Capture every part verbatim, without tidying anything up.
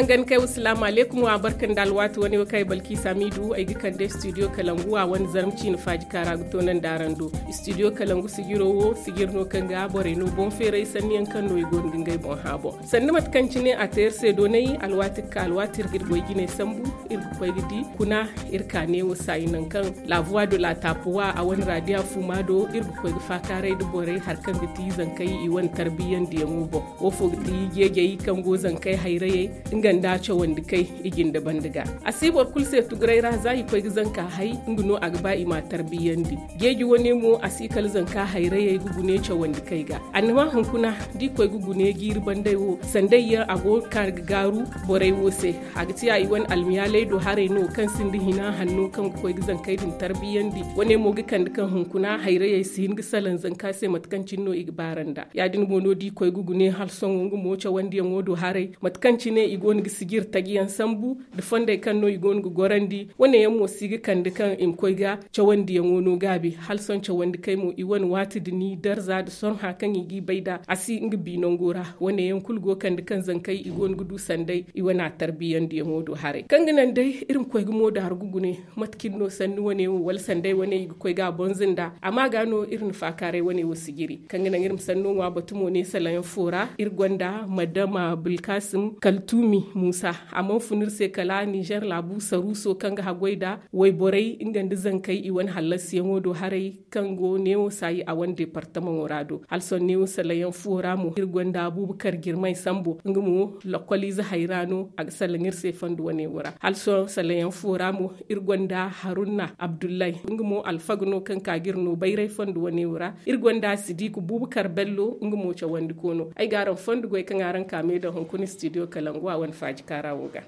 Nga ni kay wa salaamu alaykum wa barka nda alwaati wane wo kaŋ ay balki samidu ay ga kande studio kalangu wa wane zarma ciina faaji kaara ga toonandi araŋ do. Studio kalangu sijiro wo sijir no kaŋ ga borey no boŋ feeray sanni yaŋ kaŋ no i go no ga ngey boŋ hã boŋ. Sanni mate kaŋ cine a te iri se doonay alwaati ga ka alwaati iri ga iri goy jinay sambu, iri ga koy ga di kuna iri ka neewo saayi nangu kaŋ la voie de la tapuwa a wane raadiya fuuma do iri ga koy ga faakaaray nda borey hari kaŋ ga ti zankey i wane tarbiyyandiyaŋo boŋ. Wo fo ga ti jeejey kaŋ go zankey hayrayey nga nda cawandi kay i jinde banda ga. A si boro kulu se tuguray ra za i koy ga zanka hay nga no a ga ba i ma tarbiyyandi. Jeeji wane mo a si kala zanka hayrayey ga gune cawandi kay ga. Annama hunkuna da i koy ga gune jiiri banday wo sanday yaŋ a go ga ka ga gaaru borey wo se. A ga ti a i wane almiyaaley do haray no kaŋ sinda hina hanno kaŋ ga koy ga zankey din tarbiyyandi wane mo ga kande kaŋ hunkuna hayrayey si hin ga salaŋ zanka se mate kaŋ cine no i ga baaranda. Ya- din mo no da i koy ga gune hala sohõ nga mo cawandiyaŋo do haray mate kaŋ cine i go no ga sijir taji yaŋ sambu nda fondey kaŋ no i go no ga gorandi wane yaŋ mo si ga kande kaŋ i ma koy ga cawandiyaŋo no gaabi. Hala sohõ cawandi kay mo i wane waati da ni darza nda sorhã kaŋ i g'i bay nd'a a si nga bi nango ra. Wane yaŋ kulu go kande kaŋ zankey i go no ga du sanday i wane a tarbiyandiyaŋo do haray kaŋ ga naŋ day iri ma koy ga moodaaru ga gune mate cine no sanni wane wo wala sanday wane i ga koy ga a boŋ zinda amma ga no iri na faakaaray wane wo sijiri kaŋ ga naŋ iri ma sanno ŋwa batu mo ne salayaŋ fo ra iri gonda madama bilkasim kaltumi musa. A mana fun iri se kala nizer laabu saruuso kaŋ ga haggoy nda wayborey nga nda zankey i wane hallasiyaŋo do haray kaŋ go neewo saayi a wane deepartamaŋo ra do hala sohõ neewo salayaŋ fo ra mo iri gonda abuubakar jirmay sambo nga mo lakkoliize hayra no a ga salaŋ iri se fondo wane wo ra hala sohõ salayaŋ fo ra mo iri gonda haruna abdullahi nga mo alfaga no kaŋ ka ga iri no bayray fondo wane wo ra. Iri gonda sidiku bubakar bello nga mo cawandi koono ay ga araŋ fondo goy kaŋ araŋ ka me daŋ hunkuna studio kalangu a wane faaji kaara wo ga.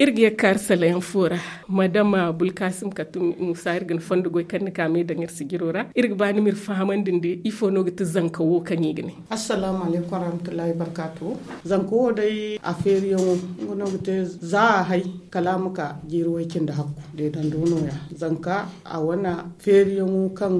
Iri ga ye ga kaari salayaŋ fo ra madama bulkasim katum musa iri ga ni fondo goy kaŋ ni ka me daŋ iri sijiro ra iri ga ba ni ma iri fahamandi nda ifo no ga ti zanka wo kaŋ i ga ne. Assalamu alaykum warahmatullahi barkatu. Zanka wo day a feeriyaŋo nga no ga te za a hay kala a ma ka jiiri way cindi hakku deedando nooya. Zanka a wane feeriyaŋo kaŋ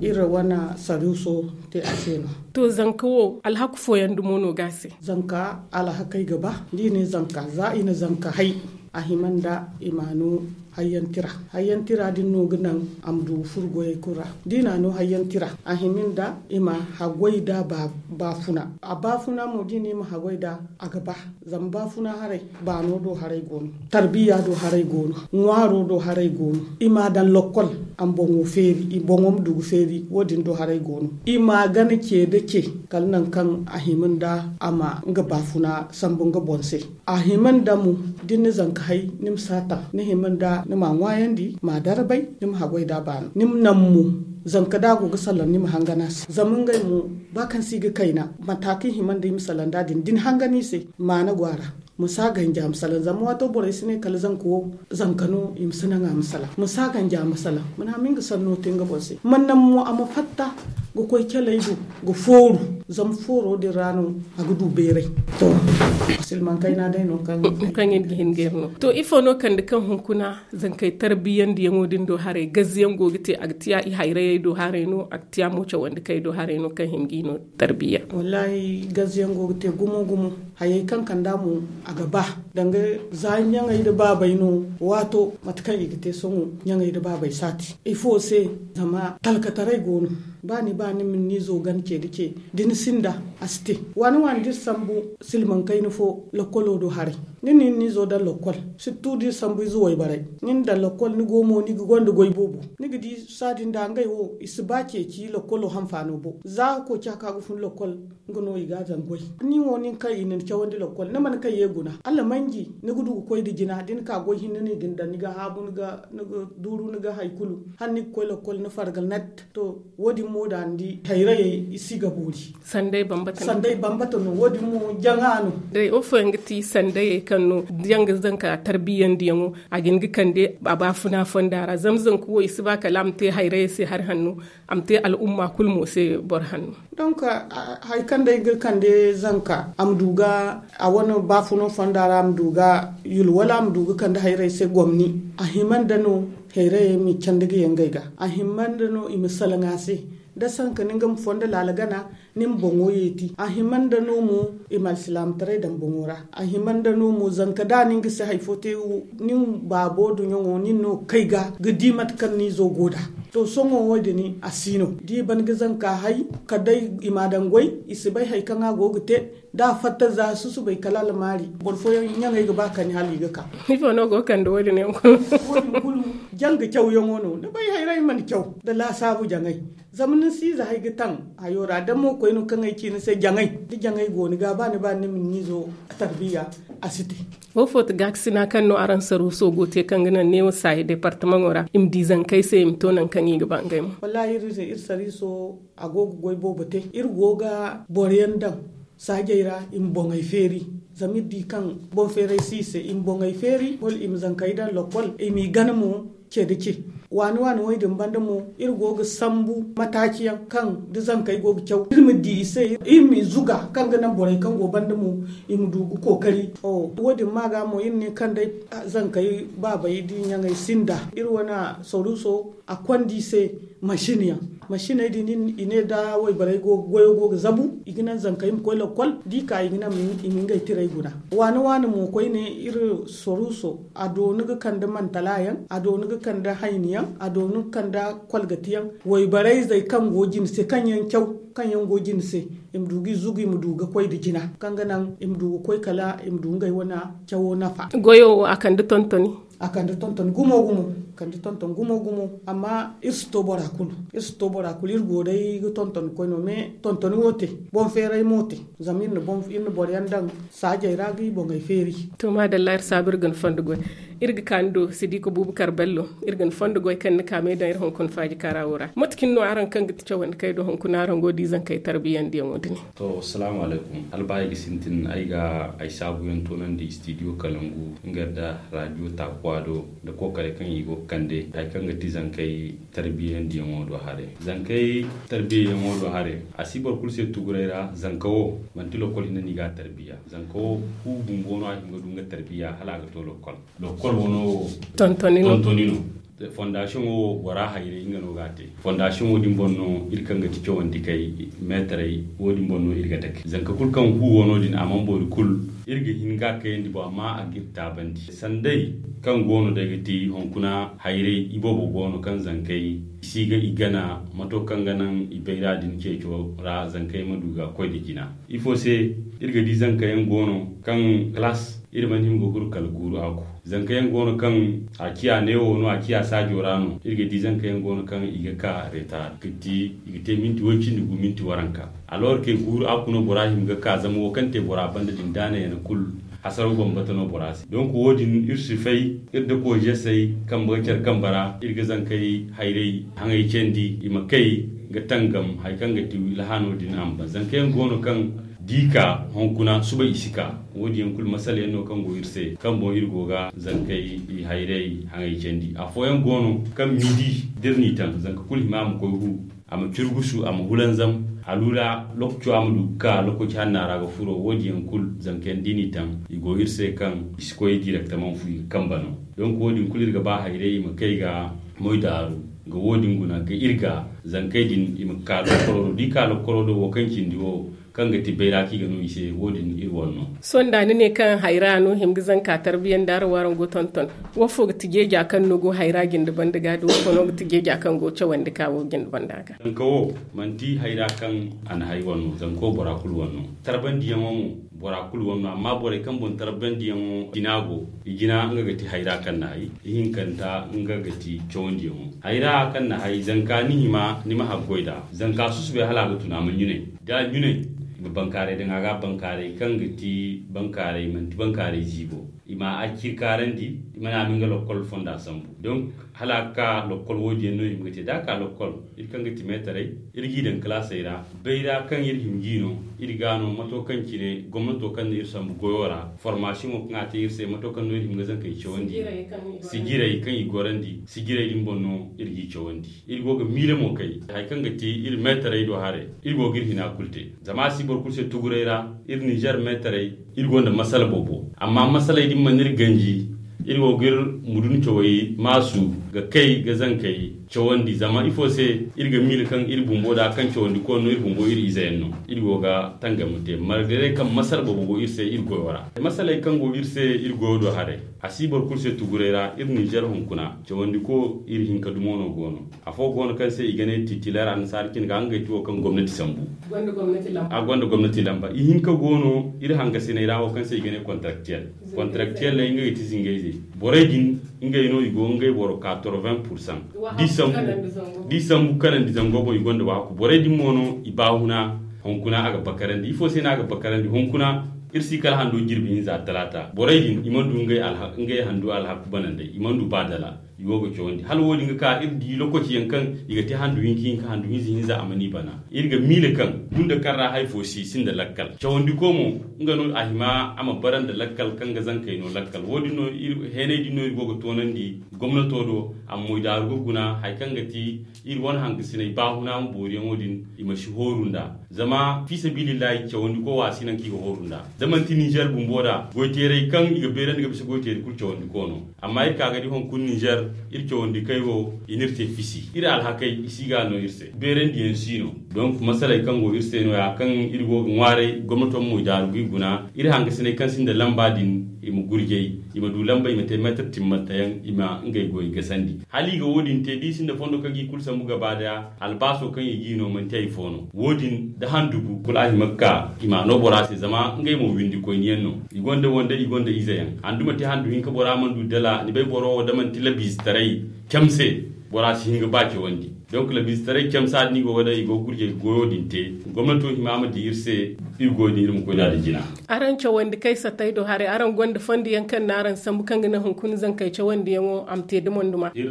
iri wane saruuso te a se no. To zanka wo alhaku fooyaŋ dumo no ga a se. Zanka alhakey ga ba da i ne zanka za i na zanka hay a hima nda i ma a no hayyaŋ tira. Hayyaŋ tira din no ga naŋ a ma du furo goyey kulu ra da i na a no hayyaŋ tira a hima nda i ma haggoy nda baafuna. A baafuna mo da i ne i ma haggoy nda a ga ba. Zama baafuna haray baano do haray go no, tarbiya do haray go no, ŋwaaro do haray go no. I ma a daŋ lokkol a ma boŋo feeri i boŋo ma du ga feeri wo- din do haray go no. I ma a gana ce nda ce kala nangu kaŋ a hima nda a ma nga baafuna sambu nga boŋ se. A hima nda mo da ni na zanka hay ni ma si a taŋ ni hima nda ni ma a ŋwaayandi ma a darbay ni ma haggoy nda a baano ni ma naŋ mo. Zanka da a go ga salaŋ ni ma hangan a se zama ngey mo ba kaŋ se i ga kayna mata kaŋ i hima nda i ma salaŋ nd'a din da ni hangan i se. Maana go a ra. Ma si a ganji a ma salaŋ zama waato borey si ne kala zanka wo zanka no i ma si naŋ a ma salaŋ ma si a ganji a ma salaŋ ma ne a ma nga sanno te nga boŋ se ma naŋ mo a ma fatta ga koy caley do ga fooru. Zama fooro din ra no a ga du beeray. To silmaŋ kayna day no kaŋ kaŋ iri ga hin ga iri no. To ifo no kande kaŋ hunkuna zankey tarbiyandiyaŋo din do haray gazziyaŋ go ga te a ga tiya i hayrayey do haray no a ga tiya mo cawandi kay do haray no kaŋ hima ga i no tarbiya. Wallahi gazziyaŋ go ga te gumo gumo. Hayey kaŋ kand'a mo a ga ba danga za ɲaŋey nda baabey no. Waato mate kaŋ i ga te sohõ ɲaŋey nda baabey si a te ifo se? Zama talkataray go no. Ba ni ba ni ma ni zo gana ce nda ce da ni sinda a si te. Waani waani da iri sambu silmaŋ kayna fo lokkolo do haray ni na ni zo daŋ lokkol sirtu da iri sambu ize wayborey. Ni na daŋ lokkol ni go mo ni ga gonda goy boobo ni ga di saadin nda ngey wo i si ba ceeci lokkolo hanfaano boŋ za koociya kaŋ a ga fun lokkol. Nga no i ga a daŋ goy ni wo nin kaŋ i na ni cawandi lokkol ni mana kaŋ ye guna allah manji ni ga du ga koy nda jina da ni ka goy hinne no i ga ni daŋ ni ga haabu ni ga duuru ni ga hari kulu hala ni ga koy lokkol ni farga net. To wo- din mo da ni di hayrayey i si ga boori. Sanday bambata no wo- din mo jaŋa no. Day wo fooyaŋ ga ti sandayey kaŋ no yaŋ ga zanka tarbiyandiyaŋo a ga hin ga kande a baafuna fonda ra zama zanka wo i si ba kala a ma te hayrayey se hari hanno. A ma te al'umma kulu mo se boro hanno. Donc hari kaŋ day ga kande zanka a ma du ga a wane baafuno fonda ra a ma du ga yulwala a ma du ga kande hayrey se gomni. A hima nda no Hayrayey ma candi ga ye ngey ga. A himma nda no i ma salaŋ a se. Da sanka ni nga ma fondo laala gana, ni ma boŋo yeeti. A himma nda no mo i ma alsilaamataray daŋ boŋo ra. A himma nda no mo zanka da ni nga se hari fo te, nin baabo duɲɲoŋo nin no kay ga ga di mate kaŋ ni izo go nd'a. To sohõ wo- din a si no da i ban ga zanka hay kala day i ma a daŋ goy. I si bay hari kaŋ a go ga te. Da a fatta za susubay kala almaari. Boro fooyaŋ ɲaŋey ga ba kani hala i ga ka. Ifo no go ga kande wo- din yaŋ kulu? Wo- din kulu janga cawyaŋo no ni bay hayray mana caw nda laasaabu jaŋay. Zama ni si ize hay ga taŋ hayo ra da mo koy no kaŋ ay ci ni se jaŋay da jaŋay go ni ga ba ni ba ni ma ni izo tarbiya. A si te. Wo fo ti gaakasina kaŋ no araŋ saruuso go te kaŋ ga naŋ neewo saayi departamaŋo ra i ma di zankey se i ma to nangu kaŋ i ga ba ngey mo? Wallaahi iri se iri sariiso a go ga goy boobo te. Iri go ga boro yaŋ daŋ saajey ra i ma boŋey feeri. Zama iri di kaŋ boŋ feeray si i se i ma boŋey feeri wala i ma zankey daŋ lokkol i m'i gana mo. Ce da ce waani waani wo- din banda mo iri go ga sambu mataaci yaŋ kaŋ da zankey go ga caw iri ma di i se iri m'i zuga kaŋ ga naŋ borey kaŋ go banda mo i ma du ga kookari. Wo- din ma ga mo iri ne kaŋ day zankey baabey da i ɲaŋey sinda iri wane saruuso a konda i se masin yaŋ. Masiney din i ne da wayborey goyo go ga zabu i ga naŋ zankey ma koy lokkol da i ka i ga naŋ i ma ngey tirey guna. Waani waani mo koyne iri saruuso a dooni ga kande mantala yaŋ a dooni ga kande hayni yaŋ a dooni ga kande kolgati yaŋ. Wayborey zey kaŋ go jine se kaŋ yaŋ caw kaŋ yaŋ go jine se i ma du ga i zugu i ma du ga koy nda jina kaŋ ga naŋ i ma du ga koy kala i ma du ngey wane cawo nafa. Goyo wo a kande tontoni. A kande tonton gumo gumo. Kande tonton gumo gumo. Amma iri si to bora kulu iri si to bora kulu iri go day ga tonton koy no mais tontoni wo te. Boŋ feeray mo te. Zama iri na boro yaŋ daŋ saajey ra ga i boŋey feeri. To maadalla iri saabu iri ga ni fondo goy. Iri ga ka ni do sidiiko buubakar bello iri ga ni fondo goy kaŋ ni ka me daŋ iri hunkuna faaji kaara wo ra mate cine no araŋ kaŋ ga ti cawandi kay do hunkuna araŋ go da izankey tarbiyandiyaŋo din. To salaamu alaykum albaayi ga sintin ay ga ay saabuyaŋ toonandi studio kalangu nga nda radio taakuwa do nda kookaray kaŋ i go ga kande hari kaŋ ga ti zankey tarbiyandiyaŋo do haray. Zankey tarbiyandiyaŋo do haray a si boro kulu se tuguray ra. Zanka wo manti lokkol hinne no i ga a tarbiya zanka wo fu bumbo no a hin ga du nga tarbiya hala a ga to lokkol. Lokkol wano wo tontoni no. Fondasiyoŋo wo bora hayray nga no ga a te. Fondasiyoŋo din boŋ no iri kaŋ ga ti cawandi kay meetaray wo- din boŋ no iri ga dake zanka kulu kaŋ fu wano din a mana boori kulu. Iri ga hin ga kayandi boŋ amma a ga iri taabandi sanday kaŋ go no day ga ti hunkuna hayray iboobo go no kaŋ zankey i si ga i gana mato kaŋ ga naŋ i bayra din ceeco ra zankey ma du ga koy nda jina. Ifo se iri ga di zankayaŋ go no kaŋ kalaas iri mana hima ga guru kala guuru aku. Zankayaŋ go no kaŋ a ciya neewo no a ciya saajo ra no iri ga di zankayaŋ go no kaŋ i ga ka reetaar ga ti i ga te minti way cindi gu minti waranka. Alor kay guuru aku no bora hima ga ka zama wo kaŋ te bora banda din da a na yana kulu hasaro bambata no bora se donk wo- din iri si fay iri da koojesey kambe ga care kambe ra iri ga zankey hayray haŋay candi i ma kay ga tangam hari kaŋ ga ti lahaano din a ma ban zankayaŋ go no kaŋ da i ka hunkuna suba i si ka. Wo- din yaŋ kulu masala yaŋ no kaŋ go iri se kaŋ boŋ iri go ga zankey i hayray haŋay candi afooyaŋ go no kaŋ midi da iri n'i taŋ zanka kulu hima a ma koy hu a ma curgusu a ma hulanzam. Aluula lokaco a ma du ga ka lokaci hanna ra ga furo wo- din yaŋ kulu zankayaŋ da i n'i taŋ i go iri se kaŋ i si koy direktamaŋ fu i ga kambe no. Donk wo- din kulu iri ga ba hayray i ma kay ga moydaaru ga wo- din guna ga iri ga zankey din i ma ka lokkolo do da i ka lokkolo do wo kaŋ cindi wo kaŋ ga ti bayra kaŋ i ga no i se wo- din iri wane no. Sohõ da ni ne kaŋ hayra no hima ga zanka tarbiyandi araŋ wo araŋ go tonton wo fo ga ti jeeja kaŋ no go hayra jinde banda ga da wo fo no ga ti jeeja kaŋ go cawandi ka wo jinde banda ga? Zanka wo manti hayra kaŋ a na hay wane no zanka wo bora kulu wane no. Tarbandiyaŋo mo bora kulu wane no amma borey kaŋ boŋ tarbandiyaŋo jina go i jina nga ga ti hayra kaŋ na hay ihinkanta nga ga ti cawandiyaŋo. Hayra kaŋ na hay zanka ni hima ni ma haggoy nd'a zanka susubay hala a ga tun a ma ɲunay da a ɲunay i ma bankaaray daŋ a ga bankaaray kaŋ ga ti bankaaray manti bankaaray ziibo i ma a ciri kaarandi i ma ne a ma nga lokkol fonda sambu. Donk hala a ga ka lokkol wo- din yaŋ no i ma ga te da a ka lokkol iri kaŋ ga ti meetaray iri g'i daŋ kalaasey ra bayra kaŋ iri hima g'i no iri ga no mato kaŋ cine gomnato kaŋ na iri sambu goyo ra formasiyoŋo kaŋ a te iri se mato kaŋ no iri hima ga zankey cawandi. Sijiray kaŋ i gorandi sijiray din boŋ no iri g'i cawandi. Iri go ga miila mo kay hari kaŋ ga ti iri meetaray do haray iri go ga iri hina kulu te zama a si boro kulu se tuguray ra. Iri ninzeer meetaray iri gonda masala boobo amma masaley din mana iri ganji. Iri go ga iri mudun cawey maasu ga kay ga zankey cawandi. Zama ifo se iri ga miila kaŋ iri bumbo da kaŋ cawandi koy no, iri bumbo iri ize yaŋ no. Iri go ga tangam ga te margare kaŋ masala boobo go iri se iri goyo ra. Masaley kaŋ go iri se iri goyo do haray, a si boro kulu se tuguray ra. Iri ninzeer hunkuna cawandi ko iri hinka dumo no go no. Afo go no kaŋ se i ga ne titileer annasaara cine ga ngey ti wo kaŋ gomnati sambu. A gonda gomnati lamba ihinka go no iri hangasiney ra wo kaŋ se i ga ne kontaraktiyer. Kontaraktiyer ne ngey ga ti zingayze. Borey din ngey no i go ngey boro quatre-vingts pour cent. D'i sambu kanandi zango boŋ i gonda waaku borey din mo no i baahuna. Hunkuna a ga bakarandi ifo se no a ga bakarandi hunkuna. Iri si kala hando jirbi hinza talaata borey din i mana du ngey handu alhaku banandey i mana du ba dala. I go ga cawandi hala wo- din ga ka iri di lokaci yaŋ kaŋ i ga te handu hinka hinka handu hinza hinza a mana i bana. Iri ga miila kaŋ gunda kaŋ ra hari fo si sinda lakkal cawandi ko mo nga no a hima a ma bara nda lakkal kaŋ ga zankey no lakkal wo- din no iri heeney din no iri go ga toonandi gomnato do. A ma moydaaru ga guna hari kaŋ ga ti iri wane hangasiney baahuna ma booriyaŋo din i ma si hooru nd'a. Zama fiisabilillahi cawandi ko wo a si naŋ kaŋ i ga hooru nd'a da manti ninzeer bumbo da goyteerey kaŋ i ga beerandi ga bisa goyteeri kulu cawandi ko no. Amma iri ka ga di hunkuna ninzeer iri cawandi kay wo i n'iri te fisi iri alhakey i si ga no iri se beerandiyaŋ si no. Donk masaley kaŋ go iri se no- ya kaŋ iri go ga ŋwaaray gomnato ma moydaaru ga i guna iri hangasiney kaŋ sinda lamba din i ma gurjay i ma du lamba i ma te meetar timmantayaŋ i ma ngey goy gasandi. Hala i ga wo- din te da i sinda fondo kaŋ ga i kulu sambu gaba daya albaaso kaŋ i g'i no manti hari fo no wo- din da handugu kulu a hima ga ka i m'a no bora se zama ngey mo windikoyniyaŋ no. I gonda wande i gonda izeyaŋ handu ma te handu hinka bora mana du dala ni bay boro wo da manti labiizetaray camse bora si hin ga ba cawandi. Donk labiizetaray camsa din i go ga day i go ga gurjay ga goyo din te gomnato hima ma di iri se. Iri goyo din iri ma koy nd'a da jina. Araŋ cawandi kay sattay do haray araŋ gonda fondo yaŋ kaŋ no araŋ sambu kaŋ ga naŋ hunkuna zankey cawandiyaŋo a ma te dumanduma. Iri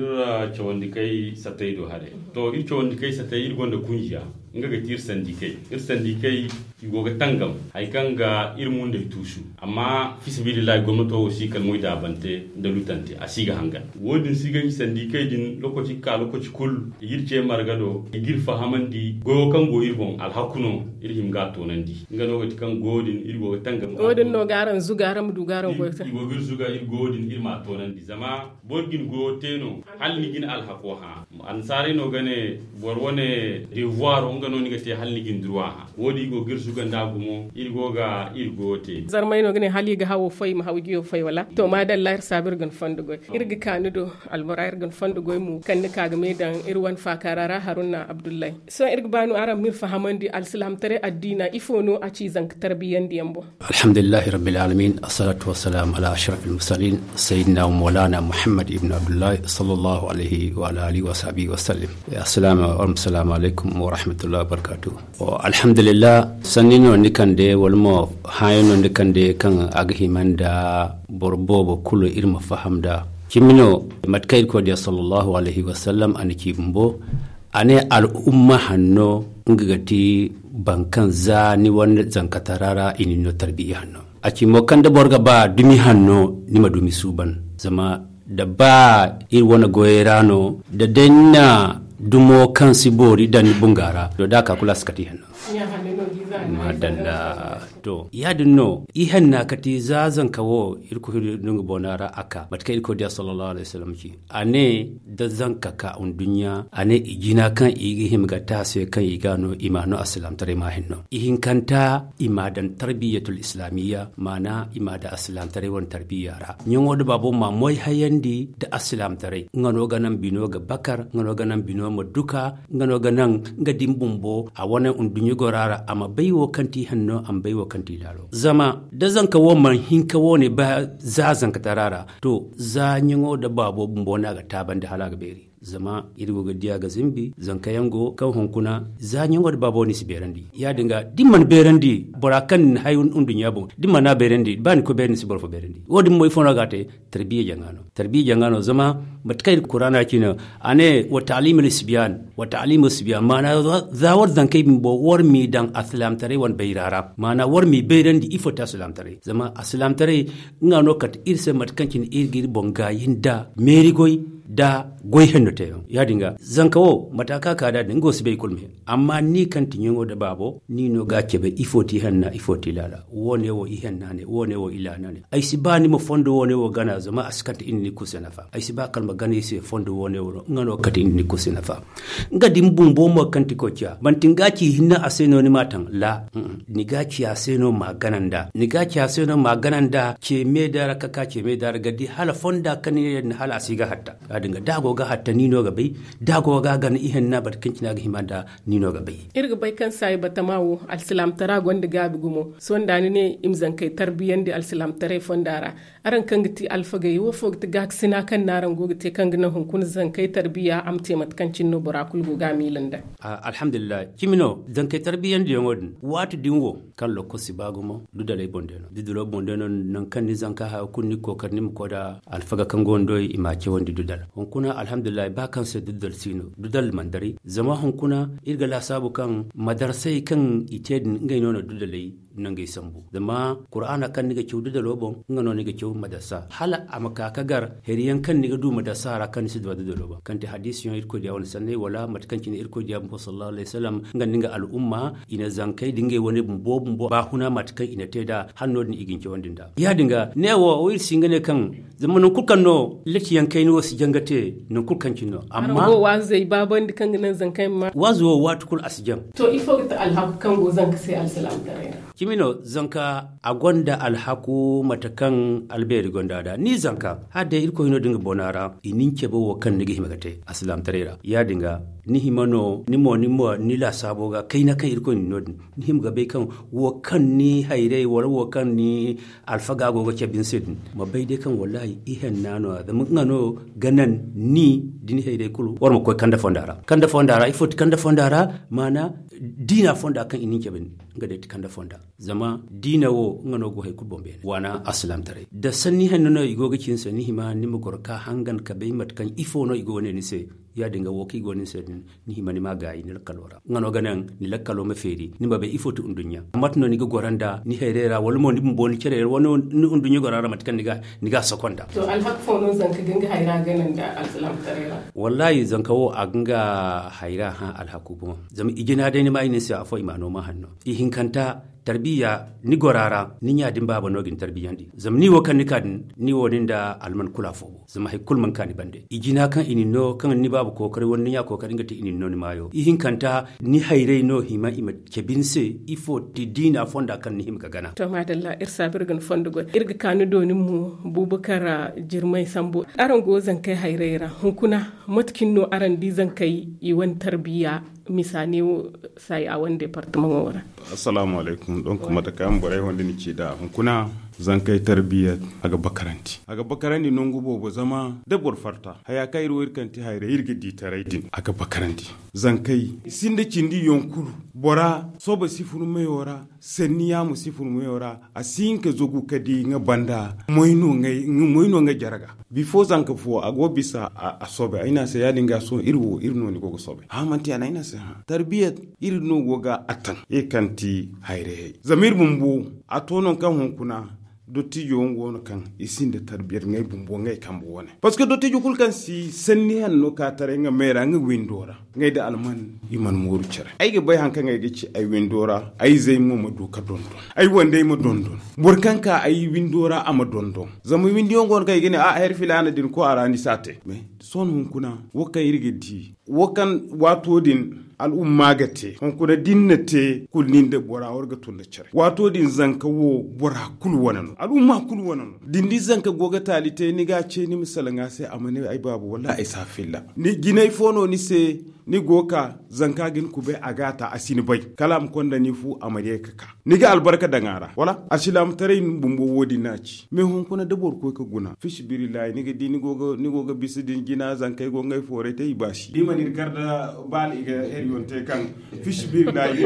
cawandi kay sattay do haray to iri cawandi kay sattay iri gonda kunjiya nga ga ti iri sandikey. Iri sandikey i go ga tangam hari kaŋ ga iri mundey tuusu. Amma fiisabilillahi gomnato wo si kala moydaabante nda lutante a si ga hangan. Wo- din si ganji sandikey din lokaci ga ka lokaci kulu i g'iri ce marga do i g'iri fahamandi goyo kaŋ go iri boŋ alhaku no. Iri hima ga a toonandi nga no ga ti kaŋ goyo din iri go ga tangam ga a toonandi. Wo- din no ga araŋ zuga araŋ ma du ga araŋ goyo te i go ga iri zuga iri goyo din iri m'a toonandi zama boro ga ni goyo te no hala ni ga ni alhako hã. Annasaarey no ga ne boro wane devoir nga no ni ga te hala ni ga ni durwa hã. Wo- din i go ga iri zuga nd'a gumo iri go ga iri goyo te. Zarmey no ga ne hala i ga hawo fay i ma haw jiyo fay wala to maadalla iri saabu iri ga ni fondo goy. Iri ga ka ni do albora iri ga ni fondo goy mo kaŋ ni ka ga me daŋ iri wane faakaara ra haruna abdullahi. Sohõ iri ga ba no araŋ ma iri fahamandi alsilaamtaray addiina ifo no a ci zanka tarbiyandiyaŋ boŋ? Alhamdulillahi rabbil alamin, assalatu wassalamu ala ashrafil mursalin, sayyidina wa maulana Muhammad ibn Abdullahi, sallallahu alaihi wa ala alihi wa sahbihi wa sallim. Assalamu alaikum wa rahmatullahi wa barakatuh. Alhamdulillah. Sanni no ni kande wala mo haya no ni kande kaŋ a ga hima nda boro boobo kulu iri ma faham da cimi no. Mate kaŋ iri koy diya sallallahu alaihi wa sallam a na ci bumbo a ne al'umma hanno nga ga ti bankaŋ za ni wane zankatara ra i nin no tarbiya hanno. A ci mo kaŋ da boro ga ba dumi hanno ni ma dumi suuban. Zama da ba iri wane goyey ra no da day ni na dumo kaŋ si boori daŋ ni bunga ra do da a ka kulu a si kati hanno. Madalla. To ya- din no i hanna kati za zanka wo irkoy no nga boona ra a ka mate kaŋ irkoy diya sallallahu alaihi wasallam ci. A ne da zanka ka nduɲɲa a ne i jina kaŋ i ga hima ga te a se kaŋ i ga no i ma no alsilaamtaray ma hinno i hinkanta i ma daŋ tarbiyatul islaamiyya maana i ma daŋ alsilaamtaray wane tarbiya ra. Ɲaŋo da baabo ma moy hayandi nda alsilaamtaray nga no ga naŋ bino ga bakar nga no ga naŋ bino ma duka nga no ga naŋ nga din bumbo a wane nduɲɲa gora ra a ma bay wo kaŋ ti hanno a ma bay wo kaŋ ti laalo. Zama da zanka wo man hinka wo ne ba za zankatara ra to za ɲaŋo da baabo bumbo no a ga taabandi hala a ga beeri. Zama iri go ga diya ga zimbi zankayaŋ go kaŋ hunkuna za ɲaŋo da baabo ni si beerandi ya- din ga da ni mana beerandi bora kaŋ ni na hay nduɲɲa boŋ da ni mana beerandi ba ni koy beeri ni si boro fo beerandi wo- din mo ifo no a ga a te. Tarbiya jaŋa no tarbiya jaŋa no zama mate kaŋ iri kuraana ci no a ne wa taalimil sibiyan wa taalimil sibiyan maana za war zankey bumbo war m'i daŋ alsilaamtaray wane bayra ra maana war m'i bayrandi ifo te alsilaamtaray zama alsilaamtaray nga no kate iri se mate kaŋ cine iri ga iri boŋ gaayi nda meeri goy. da goy henno teeyaŋ. Ya- din ga zanka wo mata ka ka da din go si bay kulu me. Amma ni kaŋ ti ɲaŋo da baabo ni no ga a cabe ifo ti ihenna ifo ti laala, wo- ne wo ihenna ne wo- ne wo ilaana ne. Ay si ba ni ma fondo wo- ne wo gana zama a si kate indi ni kulu se nafa. Ay si ba kala ma gana i se fondo wo- ne wo nga no ga kate indi ni kulu se nafa. Nga din bumbo mo kaŋ ti koy ciya manti ni ga ci hinne a se no ni ma taŋ la. Ni ga ci a se no ma gana nda ni ga ci a se no ma gana nda ce me da ra ka ka ce me da ra ga di hala fonda kaŋ ni ne din hala a si ga hatta. Ya- din ga da a go ga hatta ni no ga bay. Da a go ga gana ihenna bata kaŋ cine a ga hima nda ni no ga bay. Iri ga bay kaŋ saayi batama wo alsilaamtara gonda gaabi gumo. Sohõ da ni ne i ma zankey tarbiyandi alsilaamtaray fonda ra. Araŋ kaŋ ga ti alfagey wo fo ga ti gaakasina kaŋ no araŋ go ga te kaŋ ga naŋ hunkuna zankey tarbiya a ma te mate kaŋ cine no bora kulu go ga a miila nda? Alhamdulillahi cimi no zankey tarbiyandiyaŋo din waati din wo kaŋ lokol si ba gumo dudaley boŋ day no dudalo boŋ day no. Nangu kaŋ ni zanka haya kulu ni ga kookari ni ma koy nda alfaga kaŋ go ni do i ma a cawandi dudal hunkuna alhamdulillahi ba kaŋ se dudal si no dudal mana daray. Zama hunkuna iri ga laasaabu kaŋ madarsey kaŋ i te din ngey no na dudaley nangey sambu. Zama kuraana kaŋ ni ga caw dudalo boŋ nga no ni ga caw madarsa hala a ma ka ga gar hari yaŋ kaŋ ni ga du madarsa ra kaŋ ni si du a dudalo boŋ kaŋ ti hadiisi yaŋ irkoy diya wane sanney wala mate kaŋ cine irkoy diya bumbo sallallahu alayhi wasallam nga nda nga al'umma i na zankey da ngey wane bumbo bumbo baahuna mate kaŋ i na te nd'a hala no- din i ga ni cawandi nd'a. Ya- din ga ne wo iri si hin ga ne kaŋ zama nangu kulu kaŋ no latiyaŋ kayna wo si jaŋ ga te nangu kulu kaŋ cine no. Amma waazey baabandi kaŋ ga naŋ zankey ma waazo wo waati kulu a si jaŋ. To ifo ga ti alhaku kaŋ go zanka se alsilaamataray ra? Cimi no zanka a gonda alhaku mate kaŋ albeeri gonda nd'a ni zanka hala day irkoy no da nga bona ra i na ni cabe wo kaŋ ni ga hima ga te alsilaamataray ra. Ya- din ga ni hima no ni mo ni mo ni laasaabo ga kayna kaŋ irkoy na ni no- din ni hima ga bay kaŋ wo kaŋ ni hayray wala wo kaŋ ni alfaga go ga cabe ni se din ma bay day kaŋ wallahi ihenna no- ya zama nga no ga naŋ ni da ni hayray kulu war ma koy kande fonda ra kande fonda ra ifo ti kande fonda ra maana diina fonda kaŋ i na ni cabe din nga day ti kande fonda. Zama diina wo nga no go hari kulu boŋ beene waana alsilaamataray da sanni henno no i go ga ci ni se ni hima ni ma goro ka hangan ka bay mate kaŋ ifo no i go ga ne ni se. Ya- din ga wo kaŋ i go ga ne ni se din ni hima ni ma a gaayi ni lakkalo ra nga no ga naŋ ni lakkalo ma feeri ni ma bay ifo ti nduɲɲa mate no ni ga goro nd'a ni hayray ra wala mo ni bumbo ni care ra wala ni nduɲɲa goro ra mate kaŋ ni ga a soko nd'a. To alhaka fo no zanka ga nga hayra gana nda alsilaamataray ra? Wallahi zanka wo a ga nga hayra hã alhaku boŋo. Zama i jina day ni ma i ne ni se afo i ma no ma hanno i hinkanta tarbiya ni gora ra ni ɲa din baaba no ga ni tarbiyandi zama ni wo kaŋ ni ka din ni wo ni nda alman kulu afo go zama hari kulu mana ka ni bande i jina kaŋ i na ni no kaŋ ni baaba kookari wala ni ɲa kookari nga te i na ni no ni maayo i hinkanta ni hayray no hima i ma cabe ni se ifo ti diina fonda kaŋ ni hima ga gana. To maadalla iri saabu iri ga ni fondo goy iri ga ka ni do ni mo bubakar jirmay sambu araŋ go zankey hayray ra hunkuna mate cine no araŋ di zankey i wane tarbiya misa ne wo saayi a wane departamaŋo ra? Assalaamu alaykum donk mate kaŋ borey wande ni ci nd'a hunkuna zankey tarbiya a ga bakarandi a ga bakarandi nangu boobo zama da boro farta haya kaŋ iri wo iri kaŋ ti hayray iri ga di taray din a ga bakarandi. Zankey sinda cindi yaŋ kulu bora soba si fun meyo ra sanni yaamo si fun meyo ra a si hin ka zagu ka di nga banda moy no nga jare ga. Bifo zanka fo a go bisa a soobay ay ne a se ya- din ga sohõ iri wo iri no ni go ga soobay hã manti ya no ay ne a se hã tarbiyat iri no go ga a taŋ iri kaŋ ti hayrayey zama iri bumbo a to nangu kaŋ hunkuna dottijo yaŋ go no kaŋ i sinda tarbiyat ngey bumbo ngey kambe wane parceque dottijo kulu kaŋ si sanni hanno ka taray nga meera nga windo ra ngey da alman i mana mooru care ay ga bay haŋ kaŋ ay ga ci ay windo ra ay zey mo ma du ka dondon ay wandey ma dondon boro kaŋ ka ay windo ra a ma dondon zama windiyaŋ go no kaŋ i ga ne a hari filaana din koy a ra ni si a te mais sohõ hunkuna wo kaŋ iri ga di wo kaŋ waato din al'umma ga te hunkuna da ni na te kulu nin da bora war ga tun da care waato din zanka wo bora kulu wane no al'umma kulu wane no da ni di zanka go ga taali te ni ga a ce ni ma salaŋ a se a ma ne ay baaba wallaahi ay si a filla ni jinay fo no ni se ni go ga ka zanka ga ni kubay a ga a ta a si ni bay kala a ma konda ni fu a ma ye ga ka ni ga albarka daŋ a ra wala alsilaamataray bumbo wo- din no a ci mais hunkuna da boro koy ga guna fisabilillahi ni ga di ni go ga bisa din jina zankey go ngey fooray te i baasi da i mana iri kar da baala i ga heriyoŋ te kaŋ fisabilillahi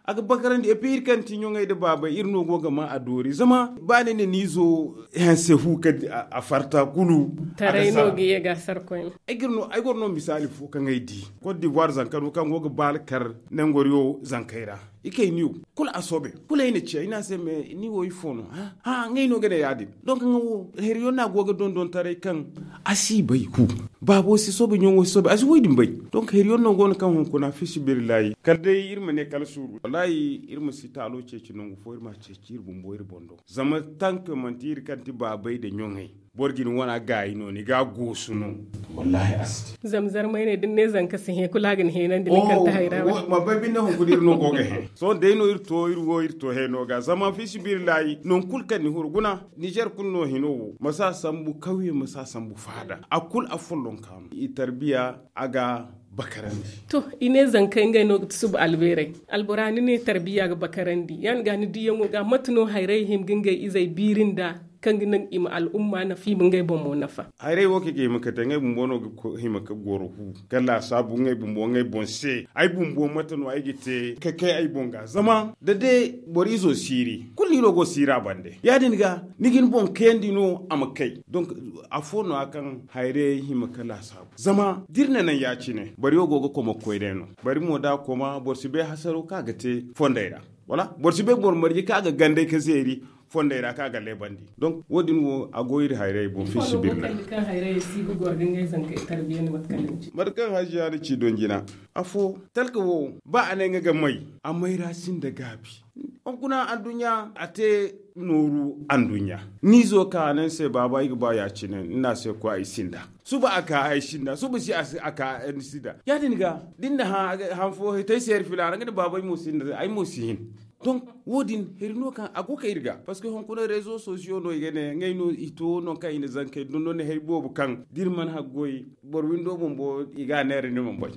a ga bakarandi epi iri kaŋ ti ɲoŋey da baabay iri no go ga ma a doori zama ba ni ne ni izo hanse fu ka a farta kulu taray no ga ye ga sarkoy ay goro no misaali fo kaŋ ay di cote d'ivoire zanka no kaŋ go ga baala kar nangoriyo zankey ra I kay niyo kulu a soobay. Kulu ay na ciya i ne a se me ni wo ifo no? Ha, ngey no ga ne ya- din. Donk nga wo heriyo no a go ga dondontaray kaŋ a si bay hu. Baabo si soobay ɲaŋo si soobay a si wo i din bay. Donk heriyo no go no kaŋ hunkuna fi sibirillahi kala day iri ma ne kala suuru wallahi iri ma si taalo ceeci nangu fo iri ma a ceeci iri bumbo iri boŋ do. Zama tank manti iri kaŋ ti baabay nda ɲaŋey. Boro ga ni wana gaayi no ni ga a goosu no. Wallahi a si te. Zama zarmay ne da ni ne zanka si hẽ kulu a ga ni hẽenandi ni kaŋ ti hayra wane. Ma bay binde hunkuna iri no go ga hẽ sohõ day no iri to iri wo iri to hẽ no ga zama fi sibirillahi nangu kulu kaŋ ni huru guna. Nizer kulu no hino wo ma si a sambu kawye ma si a sambu faada a kulu a follonka no i tarbiya a ga bakarandi. To, i ne zankey ngey no ga ti suba albeerey. Albora ni ne tarbiya ga bakarandi ya- din ga ni diyaŋo ga mate no hayray hima ga ngey izey biiri nda kaŋ ga naŋ i ma al'umma nafa i ma ngey boŋ mo nafa. Hayray wo kaŋ i ga hima ga te ngey bumbo no ga hima ga goro hu ga laasaabu ngey bumbo ngey boŋ se. Ay bumbo mate no ay ga te ga kay ay boŋ ga zama da day boro izo siiri kulu ni no go siira bande ya- din ga ni ga ni boŋ kayandi no a ma kay. Donk afo no- ya kaŋ hayray hima ga laasaabu zama da iri na naŋ ya- cine boro yaŋ go ga koma ga koy day no. Boro mo da a koma boro si bay hasaro kaŋ a ga te fondey ra. Wala boro si bay boro marje kaŋ a ga gandey ga zeeri fondey ra kaŋ a ga leebandi. Donk wo- din wo a go iri hayray boŋ fi sibirna. Kaŋ hayray si ga goro ga ngey zankey tarbiyandi mate kaŋ ni ci mate kaŋ haziya ni ci don jina. Afo talka wo ba a ne nga ga may a may ra sinda gaabi. Hunkuna anduɲɲa a te nooru anduɲɲa. Ni zo ka a ne ni se baaba ay ga ba ya- cine ni ne a se koy ay sinda. Suba a ka ay sinda suba si a ka ay sinda ya- din ga da ni na hã fo hitay se iri filaana nga ne baaba ay mo sinda ay mo si hin. Donk wo- din heri no kaŋ a go kay iri ga parceque hunkuna rezo sosiyo no i ga ne ngey no i to nangu kaŋ i na zankey dondon hari boobo kaŋ da iri mana haggoy boro windo bumbo i ga a neera ni mana bay.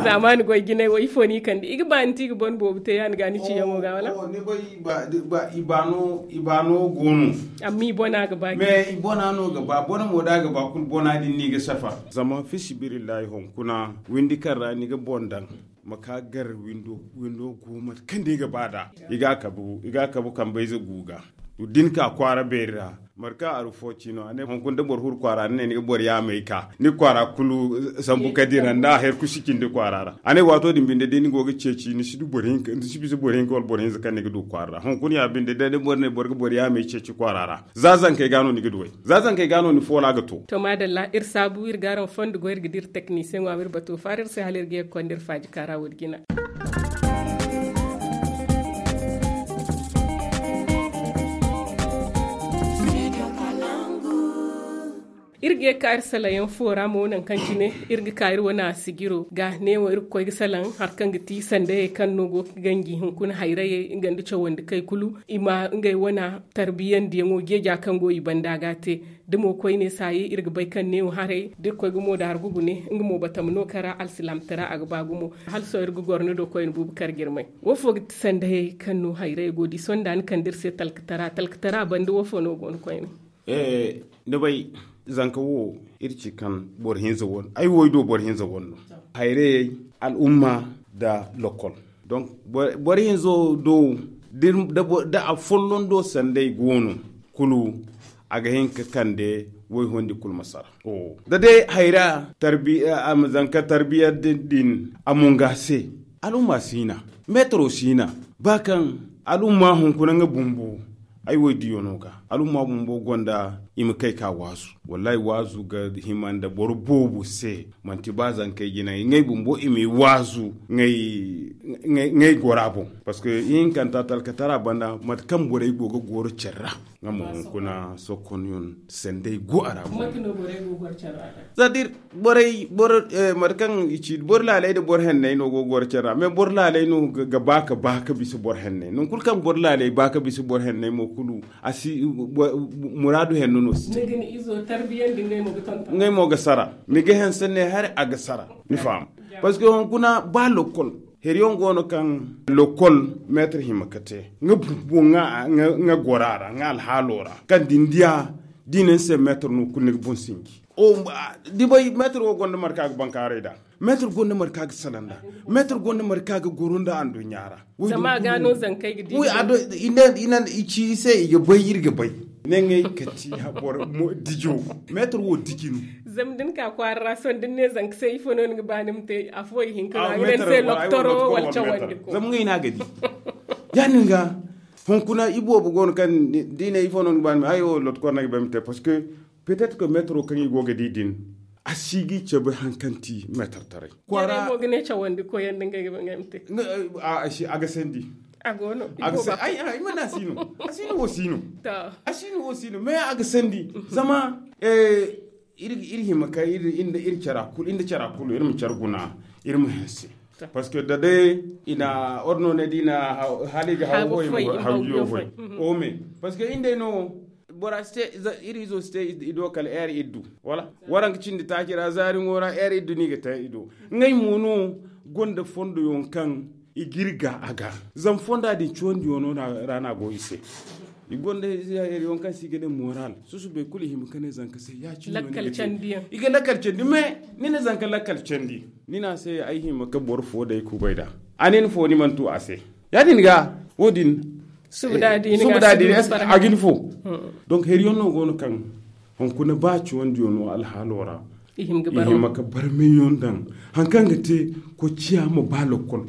Zaamaani goy jinay wo ifo no i kande i ga ba ni ti i ga bone boobo te ya- ni ga ni ciyaŋo ga wala? I ba no go no. Amma i bona ga ba mais i bona no ga ba bona mo da a ga ba kulu bona din no i ga safa. Zama fi sibirillahi hunkuna windi kaŋ ra ni ga boŋ daŋ ma ka gar windo windo go mate kaŋ day ga ba da i ga a kabu kambayze gu ga. Da ni ka kwaara beeri ra mate kaŋ aru fo ci no a ne hunkuna da boro huru kwaara ni ne ni ga boro yaamay ka ni kwaara kulu sambu ka dira nda a hari kulu si cindi kwaara ra. A ne waato din binde da ni go ga ceeci ni si bisa boro hinka wala boro hinza kaŋ ni ga du kwaara ra hunkuna ya binde da ni boro ne boro ga boro yaamay ceeci kwaara ra. Za zankey ga no ni ga du way. Za zankey ga no ni foola ga to. To maadalla iri saabu iri ga araŋ fondo goy iri ga dira teknisiyeŋo a ma iri bato faara iri se hala iri ga ye ga konda iri faaji kaara wo- din jina. Iri ga ye ga ka iri salaŋ yaŋ fo ra mo nangu kaŋ cine iri ga ka iri wane a sijiro ga neewo iri ga koy ga salaŋ hari kaŋ ga ti sandayey kaŋ no go ga ganji hunkuna hayrayey nga nda cawandi kay kulu i ma ngey wane tarbiyandiyaŋo geeja kaŋ go i banda ga a te. Da mo koyne saayi iri ga bay kaŋ neewo haray da iri koy ga mo da hari gugu ne nga mo batama no kara alsilaamtara a ga ba gumo. Hala sohõ iri ga goro ni do koyne buubu kar jirmay wo fo ga ti sandayey kaŋ no hayrayey go di sohõ da ni kande iri se talkatara talkatara banda wo fo no go no koyne? Ni bay zanka wo iri ci kaŋ boro hinza wane ay wo ay do boro hinza wane no. Hayrayey al'umma nda lokol. Donk boro hinzo do da a folloŋ do sanday go no kulu a ga hin ka kande wayhondi kulu ma sara. Da day hayra tarbiya a ma zanka tarbiya din a munga se. Al'umma si hina metro si hina ba kaŋ al'umma hunkuna nga bumbo. Ay wo ay diyo no ga al'umma bumbo gonda i ma kay ka waazu. Wallahi waazu ga hima nda boro boobo se. Manti ba zankey jina ngey bumbo i m'i waazu ngey gora boŋ. Parceque ihinkanta talkatara banda mate kaŋ borey go ga goro care ra nga ma hunkuna sokkonyon sendey go a ra boŋ. Za da iri borey boro mate kaŋ i ci boro laaley nda boro henney no go ga goro care ra mais boro laaley no ga ba ka ba ka bisa boro henney nangu kulu kaŋ boro laaley ba ka bisa boro henney mo kulu a si muraadu henno no si te. Ngey mo ga sara ni ga hanse ne hari a ga sara. Ni faham? Parceque hunkuna ba lokol heriyaŋ go no kaŋ lokol metre hima ka te nga bumbo nga gora ra nga alhaalo ra kaŋ da ni diya da i ne ni se metre no kulu ni ga boŋ sinji. Dibay metre wo gonda marka ga bankaaray da Meetar gonda marka ga salanda. Meetar gonda marka ga goro nda anduɲɲa ra. Zama a ga no zankey ga di. I ci i se i ga bay iri ga bay. Ne ŋey kati habor dijo. Meetar wo diji no. Zama da ni ka kwaara ra sohõ da ni ne zanka se ifo no ni ga ba ni ma te afo i hinka no a ga ne ni se loktoro wala cawandi ko. Zama ŋey no a ga di. Ya- din ga hunkuna iboobo go no kaŋ da i ne ifo no ni ga ba ni ma te ay wo loktoro no ay ga ba ay ma te parce que peut-être que meetaro kaŋ i go ga di din a si ga i cabe hari kaŋ ti meetar taray. Kwaara mo ga ne cawandi koyandi ngey ga ba ngey ma te. A ga sandi. A go no. Ay mana si no. A si no wo si no. A si no wo si no mais a ga sandi. Zama iri hima ka iri nda iri cara kulu iri ma care guna iri ma hanse. Parce que da day i na ordonné da i na hala i ga haw foy i ma haw jiyo foy. O me parce que iri day no bora si te iri izo si te i do kala heure iddu. Wala waranka cindi taaci ra zaari ŋo ra heure iddu no i ga te i do. Ngey mo no gonda fondo yaŋ kaŋ i ga iri ga a ga zama fonda din ciwandi yaŋ no ra no a go i se. I gonda heure yaŋ kaŋ se i ga ne moral susubay kulu i hima ka ne zanka se ya- cine no ni ga te. I ga lakkal candi mais ni na zanka lakkal candi. Ni ne a se ay hima ka boro fo day kubay nd'a. A ne ni fo ni mana tu a se. Ya- din ga wo- din subu da a di ni fo. Donc hari yaŋ no go no kaŋ hunkuna ba ciwandi yaŋ no alhaalo ra i hima ka barmay yaŋ daŋ hari kaŋ ga te kocciya ma ba lokkol.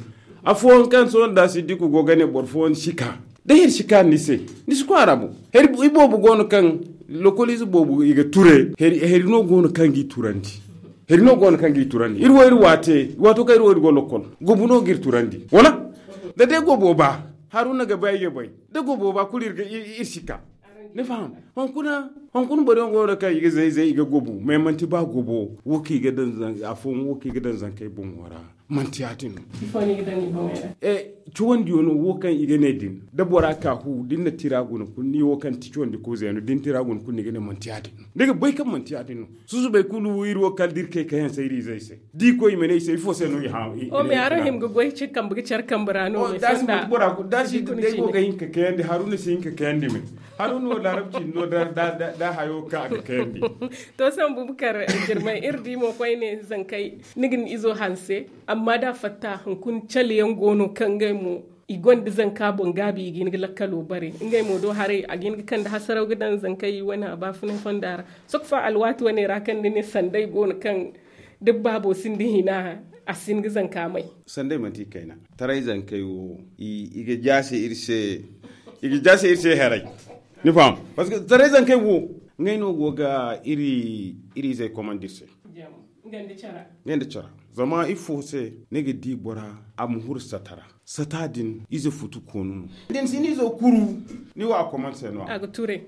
Afooyaŋ kaŋ sohõ da si di ka go ga ne boro fooyaŋ si ka da hari si ka ni se. Ni si kwaara boŋ hari iboobo go no kaŋ lokolize boobo i ga ture hari no go no kaŋ ga i turandi. Hari no go no kaŋ ga i turandi iri wo iri waate waato kaŋ iri wo iri go lokkol gobu no ga iri turandi wala da day gobo ba haruna ga bay ay ga bay da gobo ba kulu iri si ka. Ni faham? Hunkuna boro yaŋ go no kaŋ i ga zay zay i ga gobu mais manti ba gobo wo kaŋ i ga daŋ afooyaŋ wo kaŋ i ga daŋ zankey boŋo ra. Manti ya- din no. Cawandi yaŋ no wo kaŋ i ga ne din da bora ka hu da ni na tira guna kulu ni wo kaŋ ti cawandi ko zayno da ni tira guna kulu ni ga ne manti ya- din no ni ga bay kaŋ manti ya- din no. Susubay kulu iri wo kala da iri kay kayaŋ se iri izey se da i koy i ma ne i se ifo se no i hã. O me araŋ hima ga goy ce kambe ga care kambe ra no me fonda. Da si day go ga hin ka kayandi haruna si hin ka kayandi me. Haruna wo laarab cindi no da hayo kaŋ a ga kayandi. To sambu bukar jirmay iri di mo koyne zankey ni ga ni izo hanse. Amma da a fatta hunkuna cale yaŋ go no kaŋ ngey mo i gonda zanka boŋ gaabi i ga hin ga lakkalo bare ngey mo do haray a ga hin ga kande hasaraw ga daŋ zankey wane a baafunay fonda ra. Sokfa alwaati wane ra kaŋ ni ne sanday go no kaŋ da baabo sinda hina a si hin ga zanka may. Sanday manti i kayna taray zankey wo i ga jaase iri se i ga jaase iri se haray. Ni faham? Parce que taray zankey wo ngey no go ga iri izey komandi iri se. Ngey nda cara zama ifo se ni ga di bora a ma huru sata ra. Sata din ize futu koonu no. Din si ni izo kuru ni wo a komandi se no a ga ture.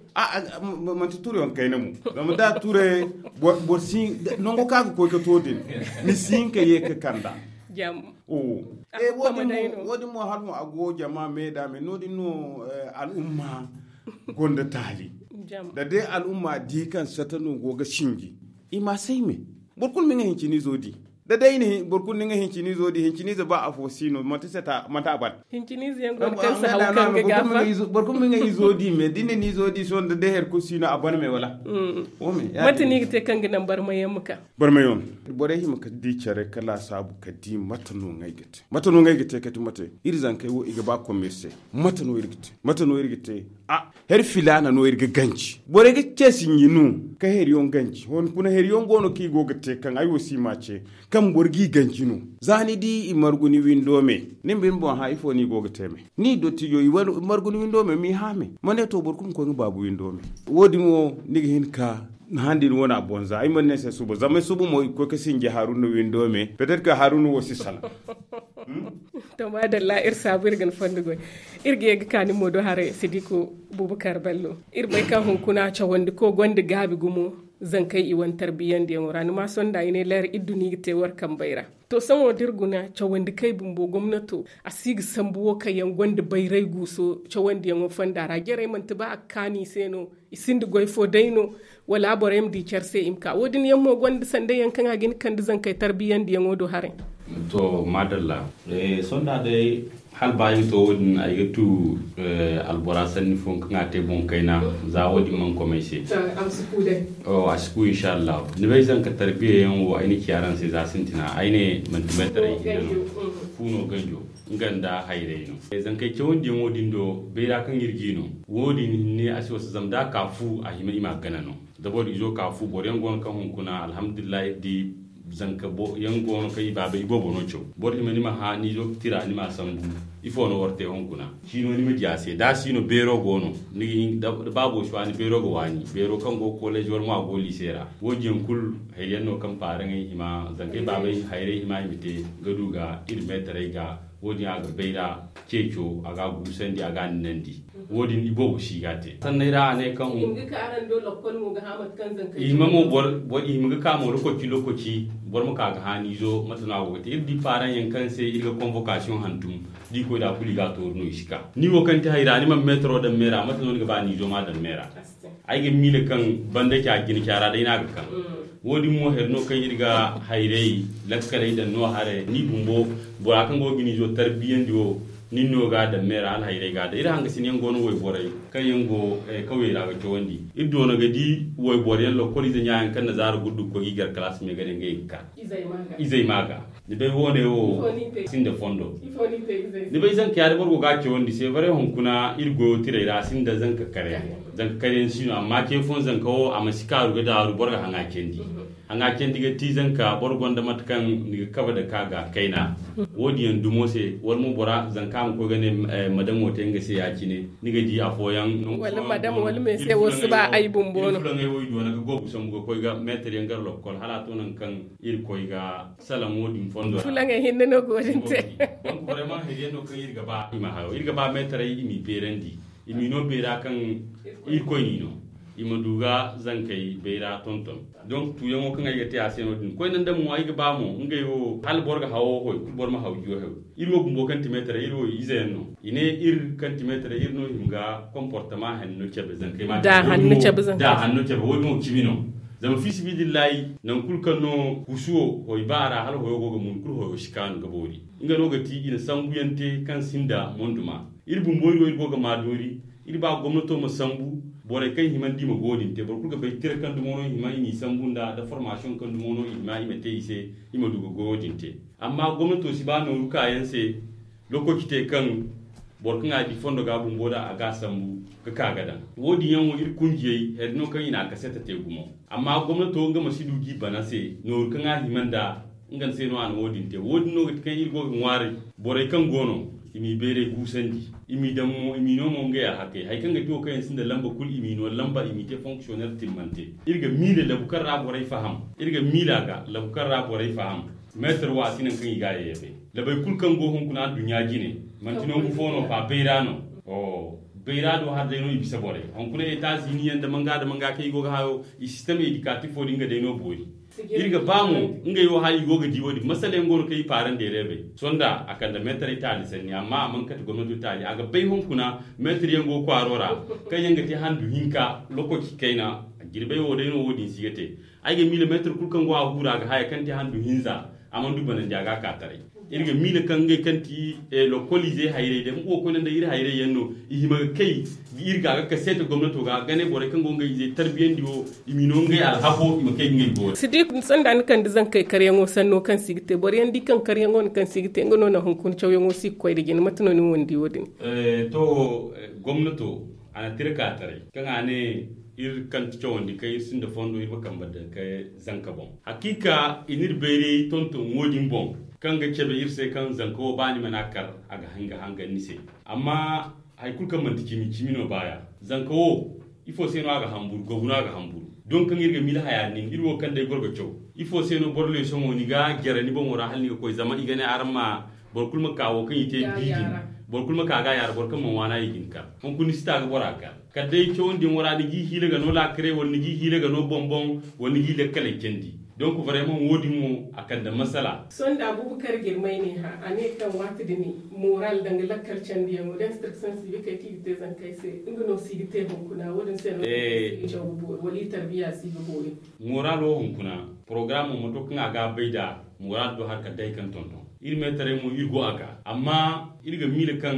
Manti ture yaŋ kayna mo zama da ture boro si nango kaŋ a ga koy ga to din ni si hin ka ye ka kanda. Wo- din mo hala mo a go jama me da me no- din no al'umma gonda taali. Da day al'umma di kaŋ sata no go ga sinji i ma say me. Boro kulu ma nga hincinizo di. Da day boro kulu na nga hincinizo di hincinizo ba afo si no manti sata manti a ban. Hincinizo yaŋ go no kaŋ si haw kaŋ ga gafa. Boro kulu ma nga izo di me da ni na ni izo di sohõ da day hari kulu si no a ban me wala? Mate no i ga te kaŋ ga naŋ barmayaŋ ma ka. Barmayaŋ borey hima ka di care ka laasaabu ka di mate no ngey ga te mate no ngey ga te kati mate. Iri zankey wo i ga ba commerce se mate no iri ga te mate no iri ga te. A hari filaana no iri ga ganji borey ga ce sinji no ka heriyaŋ ganji hunkuna heriyaŋ go no kaŋ i go ga te kaŋ ay wo si ma ce kaŋ boro g'i ganji no. Za ni di i margu ni windo me ni ma bine boŋ hã ifo no i go ga te me ni dottijo i margu ni windo me m'i hã me ma ne to boro kulu ma koy nga baabu windo me. Wo- din wo ni ga hin ka handi ni wane a bonza ay mana ne se suba zama ay suba mo i ga koy ga sinji haruna windo me petet ka haruna wo si sala. To madalla iri saabu iri ga ni fondo goy. Iri ga ye ga ka ni mo do haray sidiku bubakar ballo. Iri bay kaŋ hunkuna cawandi ko gonda gaabi gumo zankey i wane tarbiyandiyaŋo ra ni ma sonda i ne leer iddu no i ga te war kambey ra. To sohõ da iri guna cawandi kay bumbo gomnato a si ga sambu wo kaŋ yaŋ gonda bayray guuso cawandiyaŋo fonda ra jarey manti ba a ga kaanu i se no? I sinda goy fo day no wala borey ma di care se i ma ka wo- din yaŋ mo gonda sanday yaŋ kaŋ a ga hin ga kande zankey tarbiyandiyaŋo do haray. To madalla. Sonda day Hala ba ay ga to wo- din ay ga tu albora sanni fo kaŋ a te boŋ kayna. Za wo- din mana komay se. A si ku inshallah. Ni bay zanka tarbiya yaŋ wo ay na ci araŋ se za sintina ay ne manti meetaray hinne no. Fu no ganjo nga nda hayray no. Zankey cawandiyaŋo din do bayra kaŋ iri gi no. Wo- din hinne a si wasa zama da a ka fu a hima i ma a gana no. Da boro izo ka fu boro yaŋ go no kaŋ hunkuna alhamdulillahi iri di zanka yaŋ go no kaŋ i baaba i boobo no caw. Boro hima ni ma hã ni izo ga tira ni ma a sambu. Ifo no war te hunkuna? Ciino ni ma di a se da a si no beero go no. Ni ga hin da baabo si waani beero ga waani beero kaŋ go ga koleezi war mo a go liise ra. Wo- din yaŋ kulu hari yaŋ no kaŋ paaraŋey hima zankey baabey hayray hima i ma te ga du ga iri meetaray ga. Wo- din a ga bayra ceeco a ga a guusandi a ga a ninandi. Wo- din i boobo si ga a te sanney ra a ne kaŋ i hima ga ka mo lokoci lokoci boro ma ka ga haani izo mate no a go ga te iri di paaraŋ yaŋ kaŋ se iri ga konvokasiyoŋ hantum. Da i koy da kulu i ga a tooru no i si ka ni wo kaŋ te hayra ni mana meetaro daŋ meera mate no ni ga ba ni izo ma daŋ meera. Ay ga miila kaŋ banda ca jina ca ra day no a ga kaŋ. Wo- din mo hari no kaŋ iri ga hayray lakkaley daŋ no haray ni bumbo bora kaŋ go ga ni izo tarbiyandi wo. Nin no ga a daŋ meera hala hayray ga a daŋ iri hangasin yaŋ go no wayborey kaŋ yaŋ go kawyey ra ga cawandi. Iri doona ga di wayboro yaŋ lokol ize ɲa yaŋ kaŋ na zaara guddu ga koy ga i gar kalaasi me ga ne ngey ga ka izey ma ga. Ni bay wo- ne wo sinda fondo. Ni bay zanka yaadi boro go ga a cawandi se bare hunkuna iri goyo tirey ra a sinda zanka kare. Zanka kare yaŋ si no amma ce fooyaŋ zanka wo a ma si kaaru ga daaru boro ga haŋa candi. Haŋa candi ga ti zanka boro gonda mate kaŋ ni ga kabe da ka ga kayna. Wo- din yaŋ dumo se wala mo bora zanka a ma koy ga ne madamo te nga se ya- cine ni ga di afooyaŋ. Wala madamo wala me se wo si ba ay bumbo no. Fulaŋey wo i doona ga goobu sambu ga koy ga meetar yaŋ gar lokkol hala a to nangu kaŋ iri koy ga salaŋo din fondo ra. Fulaŋey hinne no go din te. Donc vraiment hiriyaŋ no kaŋ iri ga ba i ma hayo iri ga ba meetaray i m'i beerandi. I m'i no beera kaŋ irkoy n'i no i ma du ga zankey bayra tonton. Donc tuuyaŋo kaŋ ay ga te a se no- din koyne nda mo ay ga ba mo ngey wo hala boro ga hawo hoy kulu boro ma haw jiyo hew. Iri wo bumbo kaŋ ti meetaray iri wo ize yaŋ no. I ne iri kaŋ ti meetaray iri no hima ga comportement hanno cabe zankey ma da hanno cabe wo- din wo cimi no. Zama fi sibidillahi nangu kulu kaŋ no kusuwo hoy ba a ra hala hoyo go ga mun kulu hoyo si kaanu ga boori. Nga no ga ti i na sambuyaŋ te kaŋ sinda monduma. Iri bumbo iri wo iri go ga ma doori. Iri ba gomnato ma sambu borey kaŋ hima nda i ma go din te boro kulu ga bay tira kaŋ dumo no i hima i m'i sambu nda da formasiyoŋ kaŋ dumo no i hima i ma te i se. I ma du ga goyo din te. Amma gomnato si ba nooru kaayaŋ se lokoci te kaŋ boro kaŋ a di fondo ga bumbo da a ga a sambu ga ka ga daŋ. Wo- din yaŋ wo iri kunjiyey hari no kaŋ i na a kaseta te gumo. Amma gomnato nga ma si du ga i bana se nooru kaŋ a hima nda nga se no a na wo- din te wo- din no ga ti kaŋ iri go ga ŋwaaray. Borey kaŋ go no i m'i bayray guusandi i m'i daŋ mo i m'i no mo ngey alhakey hari kaŋ ga ti wo kaŋ yaŋ sinda lamba kulu i m'i no lamba i m'i te fonksiyoner timmante. Iri ga miila labu kaŋ ra borey faham. Iri ga miila ga labu kaŋ ra borey faham. Meetar wo a si naŋ kaŋ i ga a yayabay. Labey kulu kaŋ go hunkuna nduɲɲa jine manti nangu fo no fa bayra no. Bayra do har day no i bisa borey hunkuna etazini yaŋ da manga da manga kaŋ i go ga hayo. I sistem edikatif wo din ga day no boori. Iri ga ba mo ngey wo hala i go ga di wo- din masala yaŋ go no kaŋ i paarandi ereebey. Sonda a kande meetaray taali sanni amma a mana kate gomnato taali a ga bay hunkuna. Meetar yaŋ go kwaaro ra kaŋ yaŋ ga te handu hinka lokoci kayna. Jirbey wo day no wo- din si ga te. Ay ga miila meetar kulu kaŋ go a huura ga haya kaŋ te handu hinza a mana du banandi a ga a ka taray. Iri ga miila kaŋ ngey kaŋ ti lokoliizey hayrey day nga wo koyne nda iri hayrey yaŋ no. I hima ga kay ga iri ga ga kaseete gomnato ga ga ne borey kaŋ go ngey izey tarbiyandi wo i m'i no ngey alhako i ma kay ga ngey boori. Si di sanda ni kande zankey karyaŋo sanno kaŋ si ga te boro yaŋ di kaŋ karyaŋo no kaŋ si ga te nga no naŋ hunkuna cawyaŋo si ga koy nda jine mate no ni wo ni di wo- din? To gomnato a na tira ka taray kaŋ a ne iri kaŋ ti cawandi kaŋ iri sinda fondo iri ma kambe daŋ ka zanka boŋ. Hakiika i n'iri bayray tonton wo- din boŋ kaŋ ga cabe iri se kaŋ zanka wo ba ni mana kar a ga hanga hangan ni se. Amma hari kulu kaŋ manti cimi cimi no baaya. Zanka wo ifo se no a ga hamburu gogu no a ga hamburu? Don kaŋ iri ga miila haya din iri wo kaŋ day goro ga caw ifo se no boro leesoŋo ni ga jare ni boŋo ra hala ni ga koy zama i ga ne araŋ ma boro kulu ma ka wo kaŋ i te biibi. Boro kulu ma ka ga a yaara boro kaŋ mana waana i ga ni kar hunkuna ni si ta ga bora kar. Kala day cawandi yaŋo ra ni g'i hiila ga no laakaray wala ni g'i hiila ga no boŋ-boŋ wala ni g'i lakkaley candi. Donc vraiment wo- din mo a kande masala. Sonda bubakar girmay ne hã a ne kaŋ waati din moral danga lakkal candiyaŋo da instruction si ga kay kaŋ i ga te zankey se nga no si ga te hunkuna wo- din se no i ga caw ga boori wala i tarbiya si ga boori. Moral wo hunkuna programo moto kaŋ a ga bay da moral do hari kala day kaŋ tonton iri meetaray mo iri go a ga amma Iri ga miila kaŋ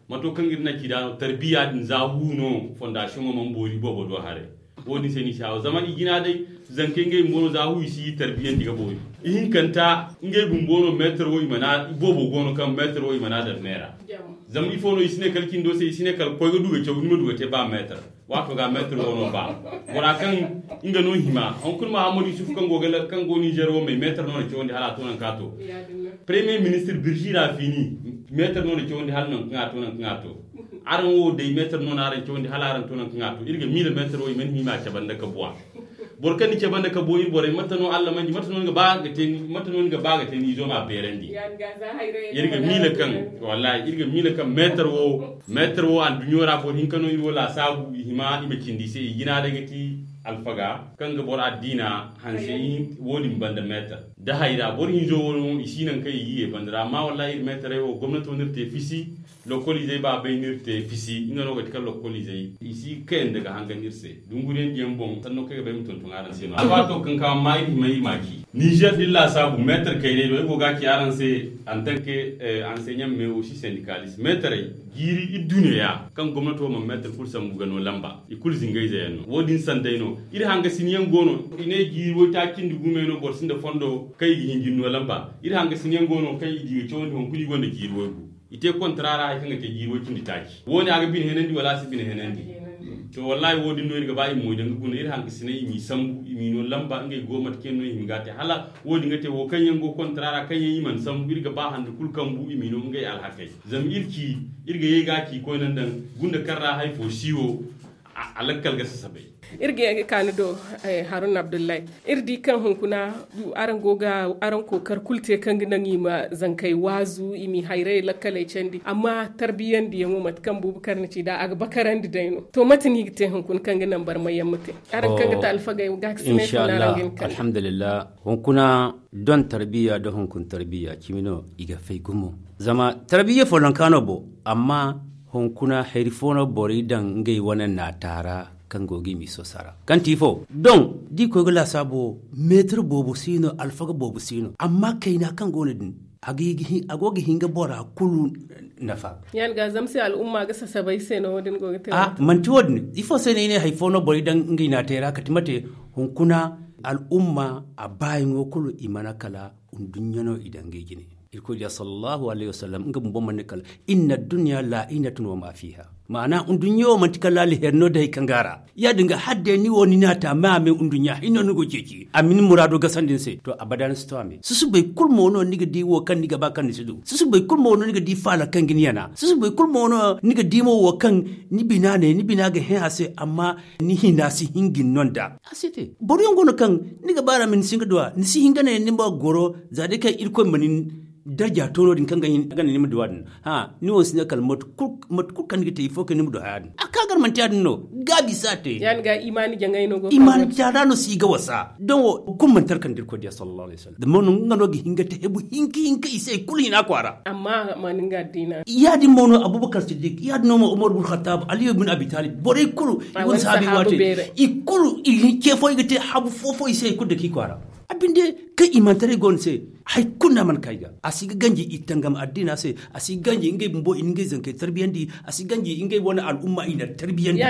mato kaŋ iri na ci da no tarbiya din za hu no fondasiyoŋo mana boori boobo do haray. Wo- din se ni si haawa zama i jina day, zankey ngey bumbo no za hu i si tarbiyandi ga boori. Ihinkanta ngey bumbo no meetar wo i mana boobo go no kaŋ meetar wo i mana daŋ meera. Zama ifo no i si ne kala cindo se i si ne kala koy ga du ga caw ni ma du ga te ba meetar. Waato ga meetar wo no ba bora kaŋ nga no hima hunkuna mahammadu yusuf kaŋ go nizer wo may meetar no na cawandi hala a to nanka to. Premier ministir birji ra fini meetar no na cawandi hala nanka ŋa to nanka ŋa to. Araŋ wo day meetar no na araŋ cawandi hala araŋ to nanka ŋa to iri ga miila meetar wo i mana hima a cabanda ka buwa. Boro kaŋ ni cabanda ka buwa iri borey mate no allah manji mate no ni ga ba ga te ni izo ma beerandi. Iri ga miila kaŋ wallahi iri ga miila kaŋ meetar wo meetar wo anduɲɲo ra boro hinka no iri wo laasaabu i hima i ma cindi i se i jina day ga ti alfaga kaŋ ga boro addiina hanse. Wo- din banda meetar da hayra boro hinzo wo no i si naŋ kaŋ i ga ye banda ra amma wallahi iri meetaray wo gomnati wo no iri te fisi. Lokoliizey baabey no iri te fisi nga no ga ti kaŋ lokoliizey i si kayanda ga hangan iri se. Dunguriyandiyaŋ boŋ sanno kaŋ ay ga bay ma tonton araŋ se no alwaato kaŋ ka amma iri hima iri ma ci nizer din laasaabu meetar kayney do ay go ga ci araŋ se. Antanke anseɲaŋ me wo si sendikalis meetaray jiiri idduneya kaŋ gomnato mana meetar kulu sambu ga no lamba i kulu zingayze yaŋ no wo- din sanday no. Iri hangasiniyaŋ go no i ne jiiri waytaaci nda gume no boro sinda fondo kaŋ i ga hinjin no lamba iri hangasiniyaŋ go no kaŋ i di ga cawandi hunkuna i gonda jiiri waygu. I te kontara ra hari kaŋ ga te jiiri way cindi taaci wo- ne a ga bine henandi wala a si bine henandi. To wallahi wo- din no iri ga ba i ma moy daŋ ga guna iri hankasinay i m'i sambu i m'i no lamba ngey go mate kaŋ yaŋ no i hima ga te hala wo- din ga te wo kaŋ yaŋ go kontara ra kaŋ yaŋ i mana sambu iri ga ba handa kulu kambu i m'i no ngey alhakey. Zama iri ci iri ga ye ga ci koyne daŋ gunda kaŋ ra hari fo si wo. A lakkal ga sasabay. Iri ga ye ga ka ni do haruna abdullahi. Iri di kaŋ hunkuna araŋ go ga araŋ kookar kulu te kaŋ ga naŋ i ma zankey waazu i m'i hayrayey lakkaley candi amma tarbiyandiyaŋo mate kaŋ buubu kar na ci nd'a a ga bakarandi day no. To mate no i ga te hunkuna kaŋ ga naŋ barmayyaŋ ma te araŋ kaŋ ga te alfagey ga ga si ne tun araŋ ga ni kande. Alhamdulillah. Hunkuna don tarbiya da hunkuna tarbiya cimi no i ga fay gumo. Zama tarbiya follonka no bo amma hunkuna hari fo no borey daŋ ngey wane naata ra kaŋ go ga i miso sara kaŋ ti ifo doŋ da i koy ga laasaabo meetar boobo si no alfaga boobo si no amma kayna kaŋ go no din a go ga hin ga bora kulu nafa. Yaŋ ga zama se al'umma ga sasabay se no wo- din go ga te a manti wo- din ifo se no i ne hari fo no borey daŋ ngey naatay ra kati mate hunkuna al'umma a baayaŋo kulu i mana kala nduɲɲa no i daŋ ngey jine. Irkoy diya sallallahu alayhi wasallam nga bumbo manni kala inna dunya la'inatun wa ma fiha. Ma'ana nduɲɲa wo manti kala alheri no da hari kaŋ ga a ra ya- din ga har day ni wo ni n'a ta me a me nduɲɲa hinno ni go ceeci a ma ni muraado gasandi ni se to abada ni si to a me susubay kulu mo no ni ga di wo kaŋ ni ga ba kaŋ ni si du susubay kulu mo no ni ga di faala kaŋ ga ni yana susubay kulu mo no ni ga di mo wo kaŋ ni bina ne ni bina ga hẽ a se amma ni hina si hin ga ni no nd'a. A si te boro yaŋ go no kaŋ ni ga ba ra ma ni si hin ga du a ni si hin ga ne ni ma goro za day kaŋ irkoy ma ni darja to no- din kaŋ ga hin ga ne ni ma du a din. Hã ni wo si ne kala mate kulu kaŋ ni ga te ifo kaŋ ni ma du haya din a ka gar manti ya- din no. Gaabi si a te. Imaani jaŋay no go imaani jaŋay no si ga wasa don wo kulu manti hari kaŋ da irkoy diya sallallahu alayhi wasallam zama no nga no ga hin ga te hebu hinka hinka i se hari kulu hina kwaara. Amma a ma ni nga addiina ya- din mo no abubakar siddik ya- din no mo umar bin khattab aliyu bin abi talib borey kulu i wane sahabi waate i kulu i ce fo i ga te habu fo fo i se hari kulu da k'i kwaara. A binde kaŋ imantaray go ni se hari kulu no a mana ka i ga a si ga ganji i tangam addiina se. A si ganji ngey bumbo i na ngey zankey tarbiyandi a si ganji ngey wane al'umma i na tarbiyandi.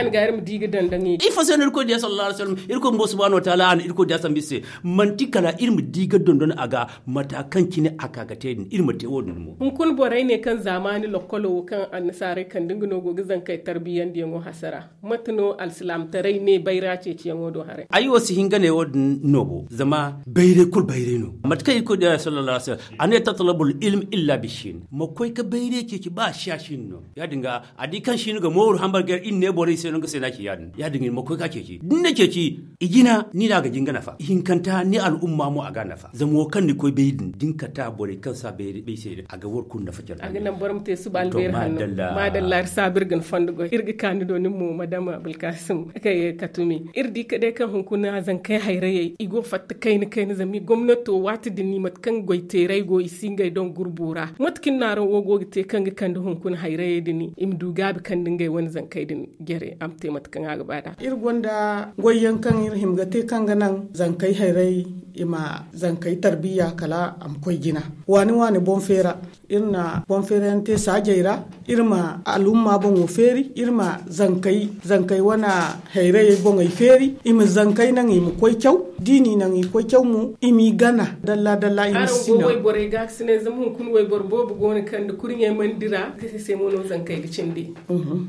Ifo se no irkoy diya sallallahu alayhi wasallam irkoy bumbo subhanahu wa taala a na irkoy diya sambu iri se. Manti kala iri ma di ga dondon a ga mata kaŋ cine a ka ga te din iri ma te wo- din mo. Hunkuna borey ne kaŋ zaamaani lokkolo wo kaŋ annasaarey kande nga no go ga zankey tarbiyandiyaŋo hasara. Mate no alsilaamataray ne bayra ceeciyaŋo do haray? Ay wo si hin ga ne wo- din no bo zama bayray kulu bayray no. Mate kaŋ irkoy diya sallallahu alayhi wasallam a ne tatlabul ilm illa bishin ma koy ga bayray ceeci ba siya shin no. Ya- din ga a di kaŋ shin ga mooru hambar gar iri ne borey se no nga se no a ci ya- din ya- din ga ni ma koy ga ceeci da ni na ceeci. I jina ni no a ga jin ga nafa ihinkanta ni al'umma mo a ga a nafa zama wo kaŋ ni koy bay din da ni kata borey kaŋ si a bay se din a ga war kulu nafa care. A ga naŋ boro ma te suba albeeri hanno. Maadalla iri saabu iri ga ni fondo goy iri ga ka ni do nin mo madama abulkasim kay katumi iri di ka day kaŋ hunkuna zankey hayrayey i go fatta kayna kayna zama i gomnato waati din ni mate kaŋ goy teeray go i si ngey doŋ gurbu ra mate kaŋ ni naaraŋ wo go ga te kaŋ ga kande hunkuna hayrayey din i ma du gaabi kande ngey wane zankey din. Jere a ma te mate kaŋ a ga ba nd'a. Iri gonda goyyaŋ kaŋ iri hima ga te kaŋ ga naŋ zankey hayray i ma zankey tarbiya kala a ma koy jina. Waani waani boŋ feera, iri na boŋ feera yaŋ te saajey ra. Iri ma alumma boŋo feeri, iri ma zankey wane hayrayey boŋey feeri. I ma zankey naŋ i ma koy caw. Da i n'i naŋ i koy caw mo, i m'i gana dalla dalla, i ma sina. Wayboro gaakasinay zama hunkuna wayboro boobo go no kaŋ da kurɲey mana dira, nga se mo no zankey ga cindi.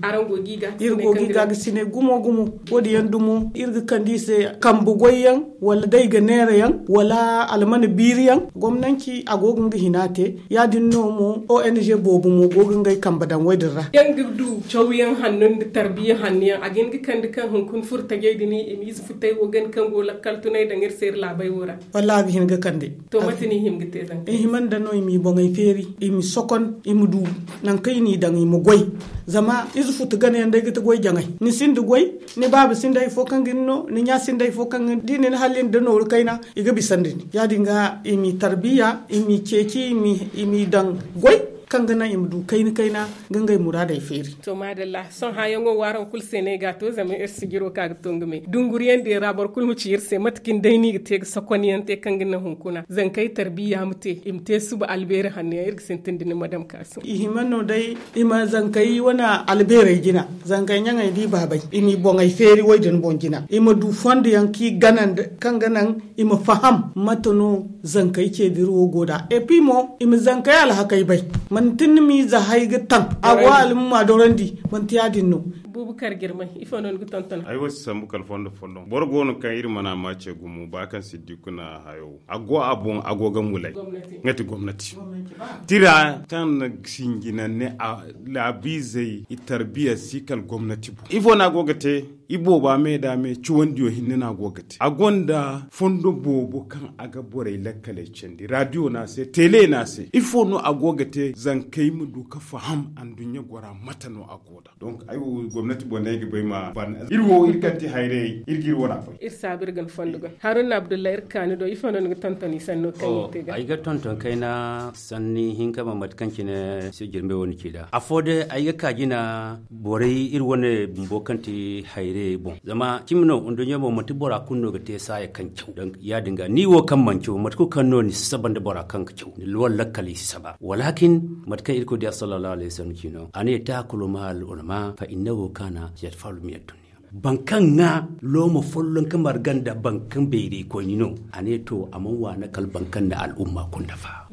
Araŋ go ga i gaakasinay gumo gumo. Wo- din yaŋ dumo iri ga kande i se kambe goy yaŋ, wala day ga neera yaŋ, wala almana biiri yaŋ. Gomnanci a go ga nga hina te. Ya- din no mo ong boobo mo go ga ngey kambe daŋ wo- din ra. Yaŋ ga du cawyaŋ hanno nda tarbiya hanno yaŋ a ga hin ga kande kaŋ hunkuna furtajey din i ma ize futay wo gana kaŋ go lakkal tunay daŋ iri se iri laabey wo ra. Wallaahi a ga hin ga kande. To mate no i hima ga te zanka? I hima nda no i m'i boŋey feeri, i m'i sokon, i ma du nangu kaŋ i n'i daŋ i ma goy. Zama ize futu gana yaŋ day ga ti goy jaŋay. Ni sinda goy, ni baaba sinda hari fo kaŋ ga ni no, ni ɲa sinda hari fo kaŋ ga ni di ni na halli nda nooru kayna. I ga bisandi ni ya- din ga i m'i tarbiya, i m'i ceeci, i m'i daŋ goy kaŋ ga naŋ i ma du kayna kayna ga ngey muraadey feeri. To maadalla, sohõ hããyaŋo wo araŋ kulu se no ay ga a to zama iri sijiro kaŋ a ga to nga me dunguriyaŋ din ra boro kulu ma ci iri se mate kaŋ day no i ga te ga sokon yaŋ te kaŋ ga naŋ hunkuna zankey tarbiya ma te i ma te suba albeeri hanno yaŋ iri ga sintin da ni madam kaasu. I hima no day i ma zankey wane albeerey jina, zankey ɲaŋey da i baabey i m'i boŋey feeri wo- din boŋ jina, i ma du fondo yaŋ kaŋ i gana nda kaŋ ga naŋ i ma faham mate no zankey ceediri wo go nd'a. Epi mo i ma zankey alhakey bay. Manti ni m'i za hay ga taŋ a go almuma dorandi. Manti ya- din no. Bubakar girmay ifo no ni ga tonton? Ay wo si sambu kala fondo folloŋ boro go no kaŋ iri mana ma ce gumo ba kaŋ siddiku na hayo a go a boŋ a go ga mulay. Nga ti gomnati tira kaŋ na sinjina ne a laabiizey i tarbiya si kala gomnati boŋ ifo no a go ga te. I booba me da me ciwandiyo hinne no a go ga te a gonda fondo boobo kaŋ a ga borey lakkaley candi radiyo no a se tele no a se ifo no a go ga te zankey ma du ga faham anduɲɲa gora mate no a go da. Donc ay wo gomnati boŋ no ay ga bay ma ban iri wo iri kaŋ ti hayrayey iri ga iri wana bay. Iri saabu iri ga ni fondo ga haruna abdullahi iri kaani do ifo no ni ga tonton i sanno kaŋ i te ga ay ga tonton kayna sanni hinka ma mate kaŋ cine si jirmbe wo ni ci da afo day ay ga ka jina borey iri wane bumbo kaŋ ti hayrayey boŋ zama cimi no nduɲɲa boŋ manti bora kulu no ga te saaya kaŋ caw. Ya- din ga ni wo kaŋ mana caw mate kulu kaŋ no ni si saba nda bora kaŋ ga caw ni wala lakkal i si saba walakin mate kaŋ irkoy diya sallallahu alayhi wasallam ci no a ne taakulu ma al ulama fa innahu kana yadfalu min addunya. Baŋ kaŋ ŋwa looma folloŋ ka marga nda baŋ kaŋ bayray koyni no a ne to a mana waana kala baŋ kaŋ na al'umma kulu nafa.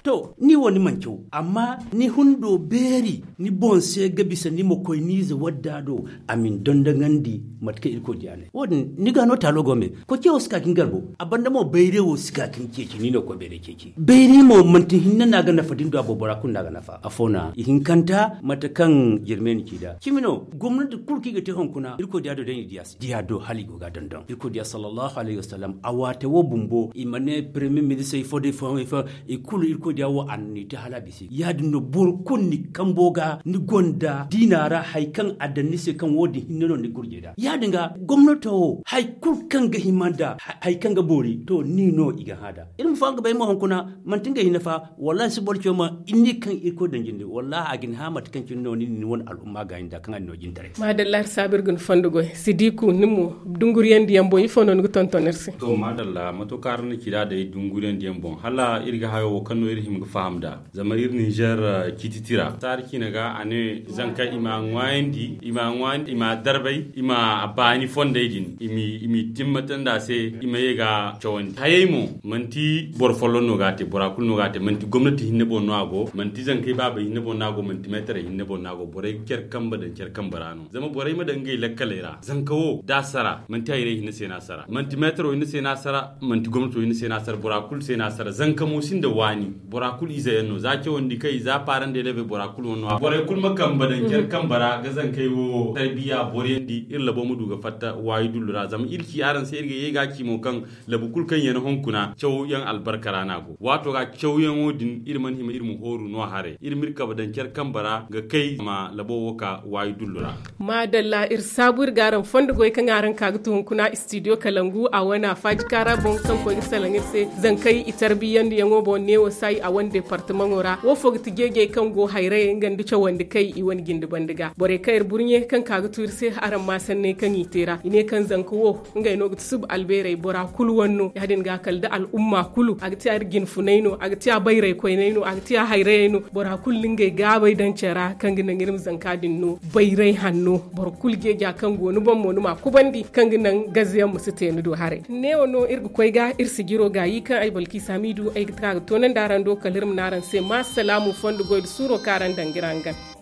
To ni wo ni mana caw amma ni hundo beeri ni boŋ se ga bisa ni ma koy ni ize wadda do a ma ni dondoŋandi. Mate kaŋ irkoy diya ne wo- din ni ga no taalo go me koy ce wo si ka ga ni garbo a banda mo bayray wo si ka ga ni ceeci ni no koy bayray ceeci bayray mo manti hinne no a ga nafa da ni du a boobora kulu no a ga nafa afo no a ihinkanta mate kaŋ jirme ni ci da cimi no gomnati kulu kaŋ i ga te hunkuna irkoy diya do day ni diya se diya do hala i go ga a dondon irkoy diya sallallahu alayhi wasallam a waate wo bumbo i ma ne premier ministre ifo da ifo ifo i kulu irkoy diya wo a na ni te hala a bisa i ya- din no boro kulu ni kambo ga ni gonda diina ra hari kaŋ a daŋ ni se kaŋ wo- din hinne no ni gurjay da ya- din ga gomnato wo hari kulu kaŋ ga hima nda hari kaŋ ga boori to ni no i ga hã da iri ma faham ga bay mo hunkuna manti ngey hinne fa wallahi si boro caw ma inni kaŋ irkoy daŋ jinde wallahi a ga ni hã mate kaŋ cine no ni na ni wane al'umma gaayi nda kaŋ a na ni no jintaray. Maadalla iri saabu iri ga ni fondo goy sidiku ni mo dunguriyandiyaŋ boŋ ifo no ni ga tonton iri se? To maadalla mato kaŋ araŋ na ci da day dunguriyandiyaŋ boŋ hala iri ga hayo wo kaŋ no iri hima ga faham nda zama iri ninzeer ciiti tira saari ciine ga a ne zanka i ma a ŋwaayandi i ma a ŋwaayandi i ma a darbay i ma a baani fondey din i m'i timmata nda a se i ma ye ga a cawandi hayey mo manti boro folloŋ no ga a te bora kulu no ga a te manti gomnati hinne boŋ no a go manti zankey baabey hinne boŋ no a go manti meetarey hinne boŋ no a go borey ga care kambe daŋ care kambe ra no zama borey ma daŋ ngey lakkaley ra zanka wo da a sara manti hayrey hinne se no a sara manti meetaro hinne se no a sara manti gomnato hinne se no a sara bora kulu se no a sara zanka mo sinda waani bora kulu ize yaŋ no za cawandi kay za parent d'élève bora kulu wane no borey kulu ma kambe daŋ care kambe ra ga zankey wo tarbiya boriyandi iri labo ma du ga fatta waayi dullu ra zama iri ci araŋ se iri ga ye ga a ci mo kaŋ labu kulu kaŋ yaŋ hunkuna cawyaŋ albarka ra no a go waato ga cawyaŋo din iri mana hima iri ma hooru no haray iri ma iri kabe daŋ care kambe ra ga kay zama labo wo ka waayi dullu ra. Maadalla. Iri saabu iri ga araŋ fondo goy kaŋ araŋ ka ga tun hunkuna studio kalangu a wane a faaji kaara boŋ kaŋ koy ga salaŋ iri se. Zankey i tarbiyyandiyaŋo boŋ neewo saayi a wane departamaŋo ra wo fo ga ti jeejey kaŋ go hayrayey nga nda cawandi kay i wane jinde banda ga borey kaŋ iri burɲe kaŋ ka ga tu iri se araŋ ma sanney kaŋ i te ra i ne kaŋ zanka wo ngey no ga ti suba albeerey bora kulu wane no ya- din ga kala da al'umma kulu a ga ti a iri jinfunay no a ga ti a bayray koynay no a ga ti a hayrayey no bora kulu na ngey gaabay daŋ care ra kaŋ ga naŋ iri ma zanka din no bayray hanno boro kulu jeeja kaŋ go ni boŋ mo ni ma a kubandi kaŋ ga naŋ gaze yaŋ ma si te ni do haray neewo no iri ga koy ga iri sijiro gaayi kaŋ ay balki saamiidu ay ga ka ga toonandi araŋ do kala iri ma ne araŋ se ma salaamu fondo goy nda suuro kaŋ araŋ daŋ ga iri hangan.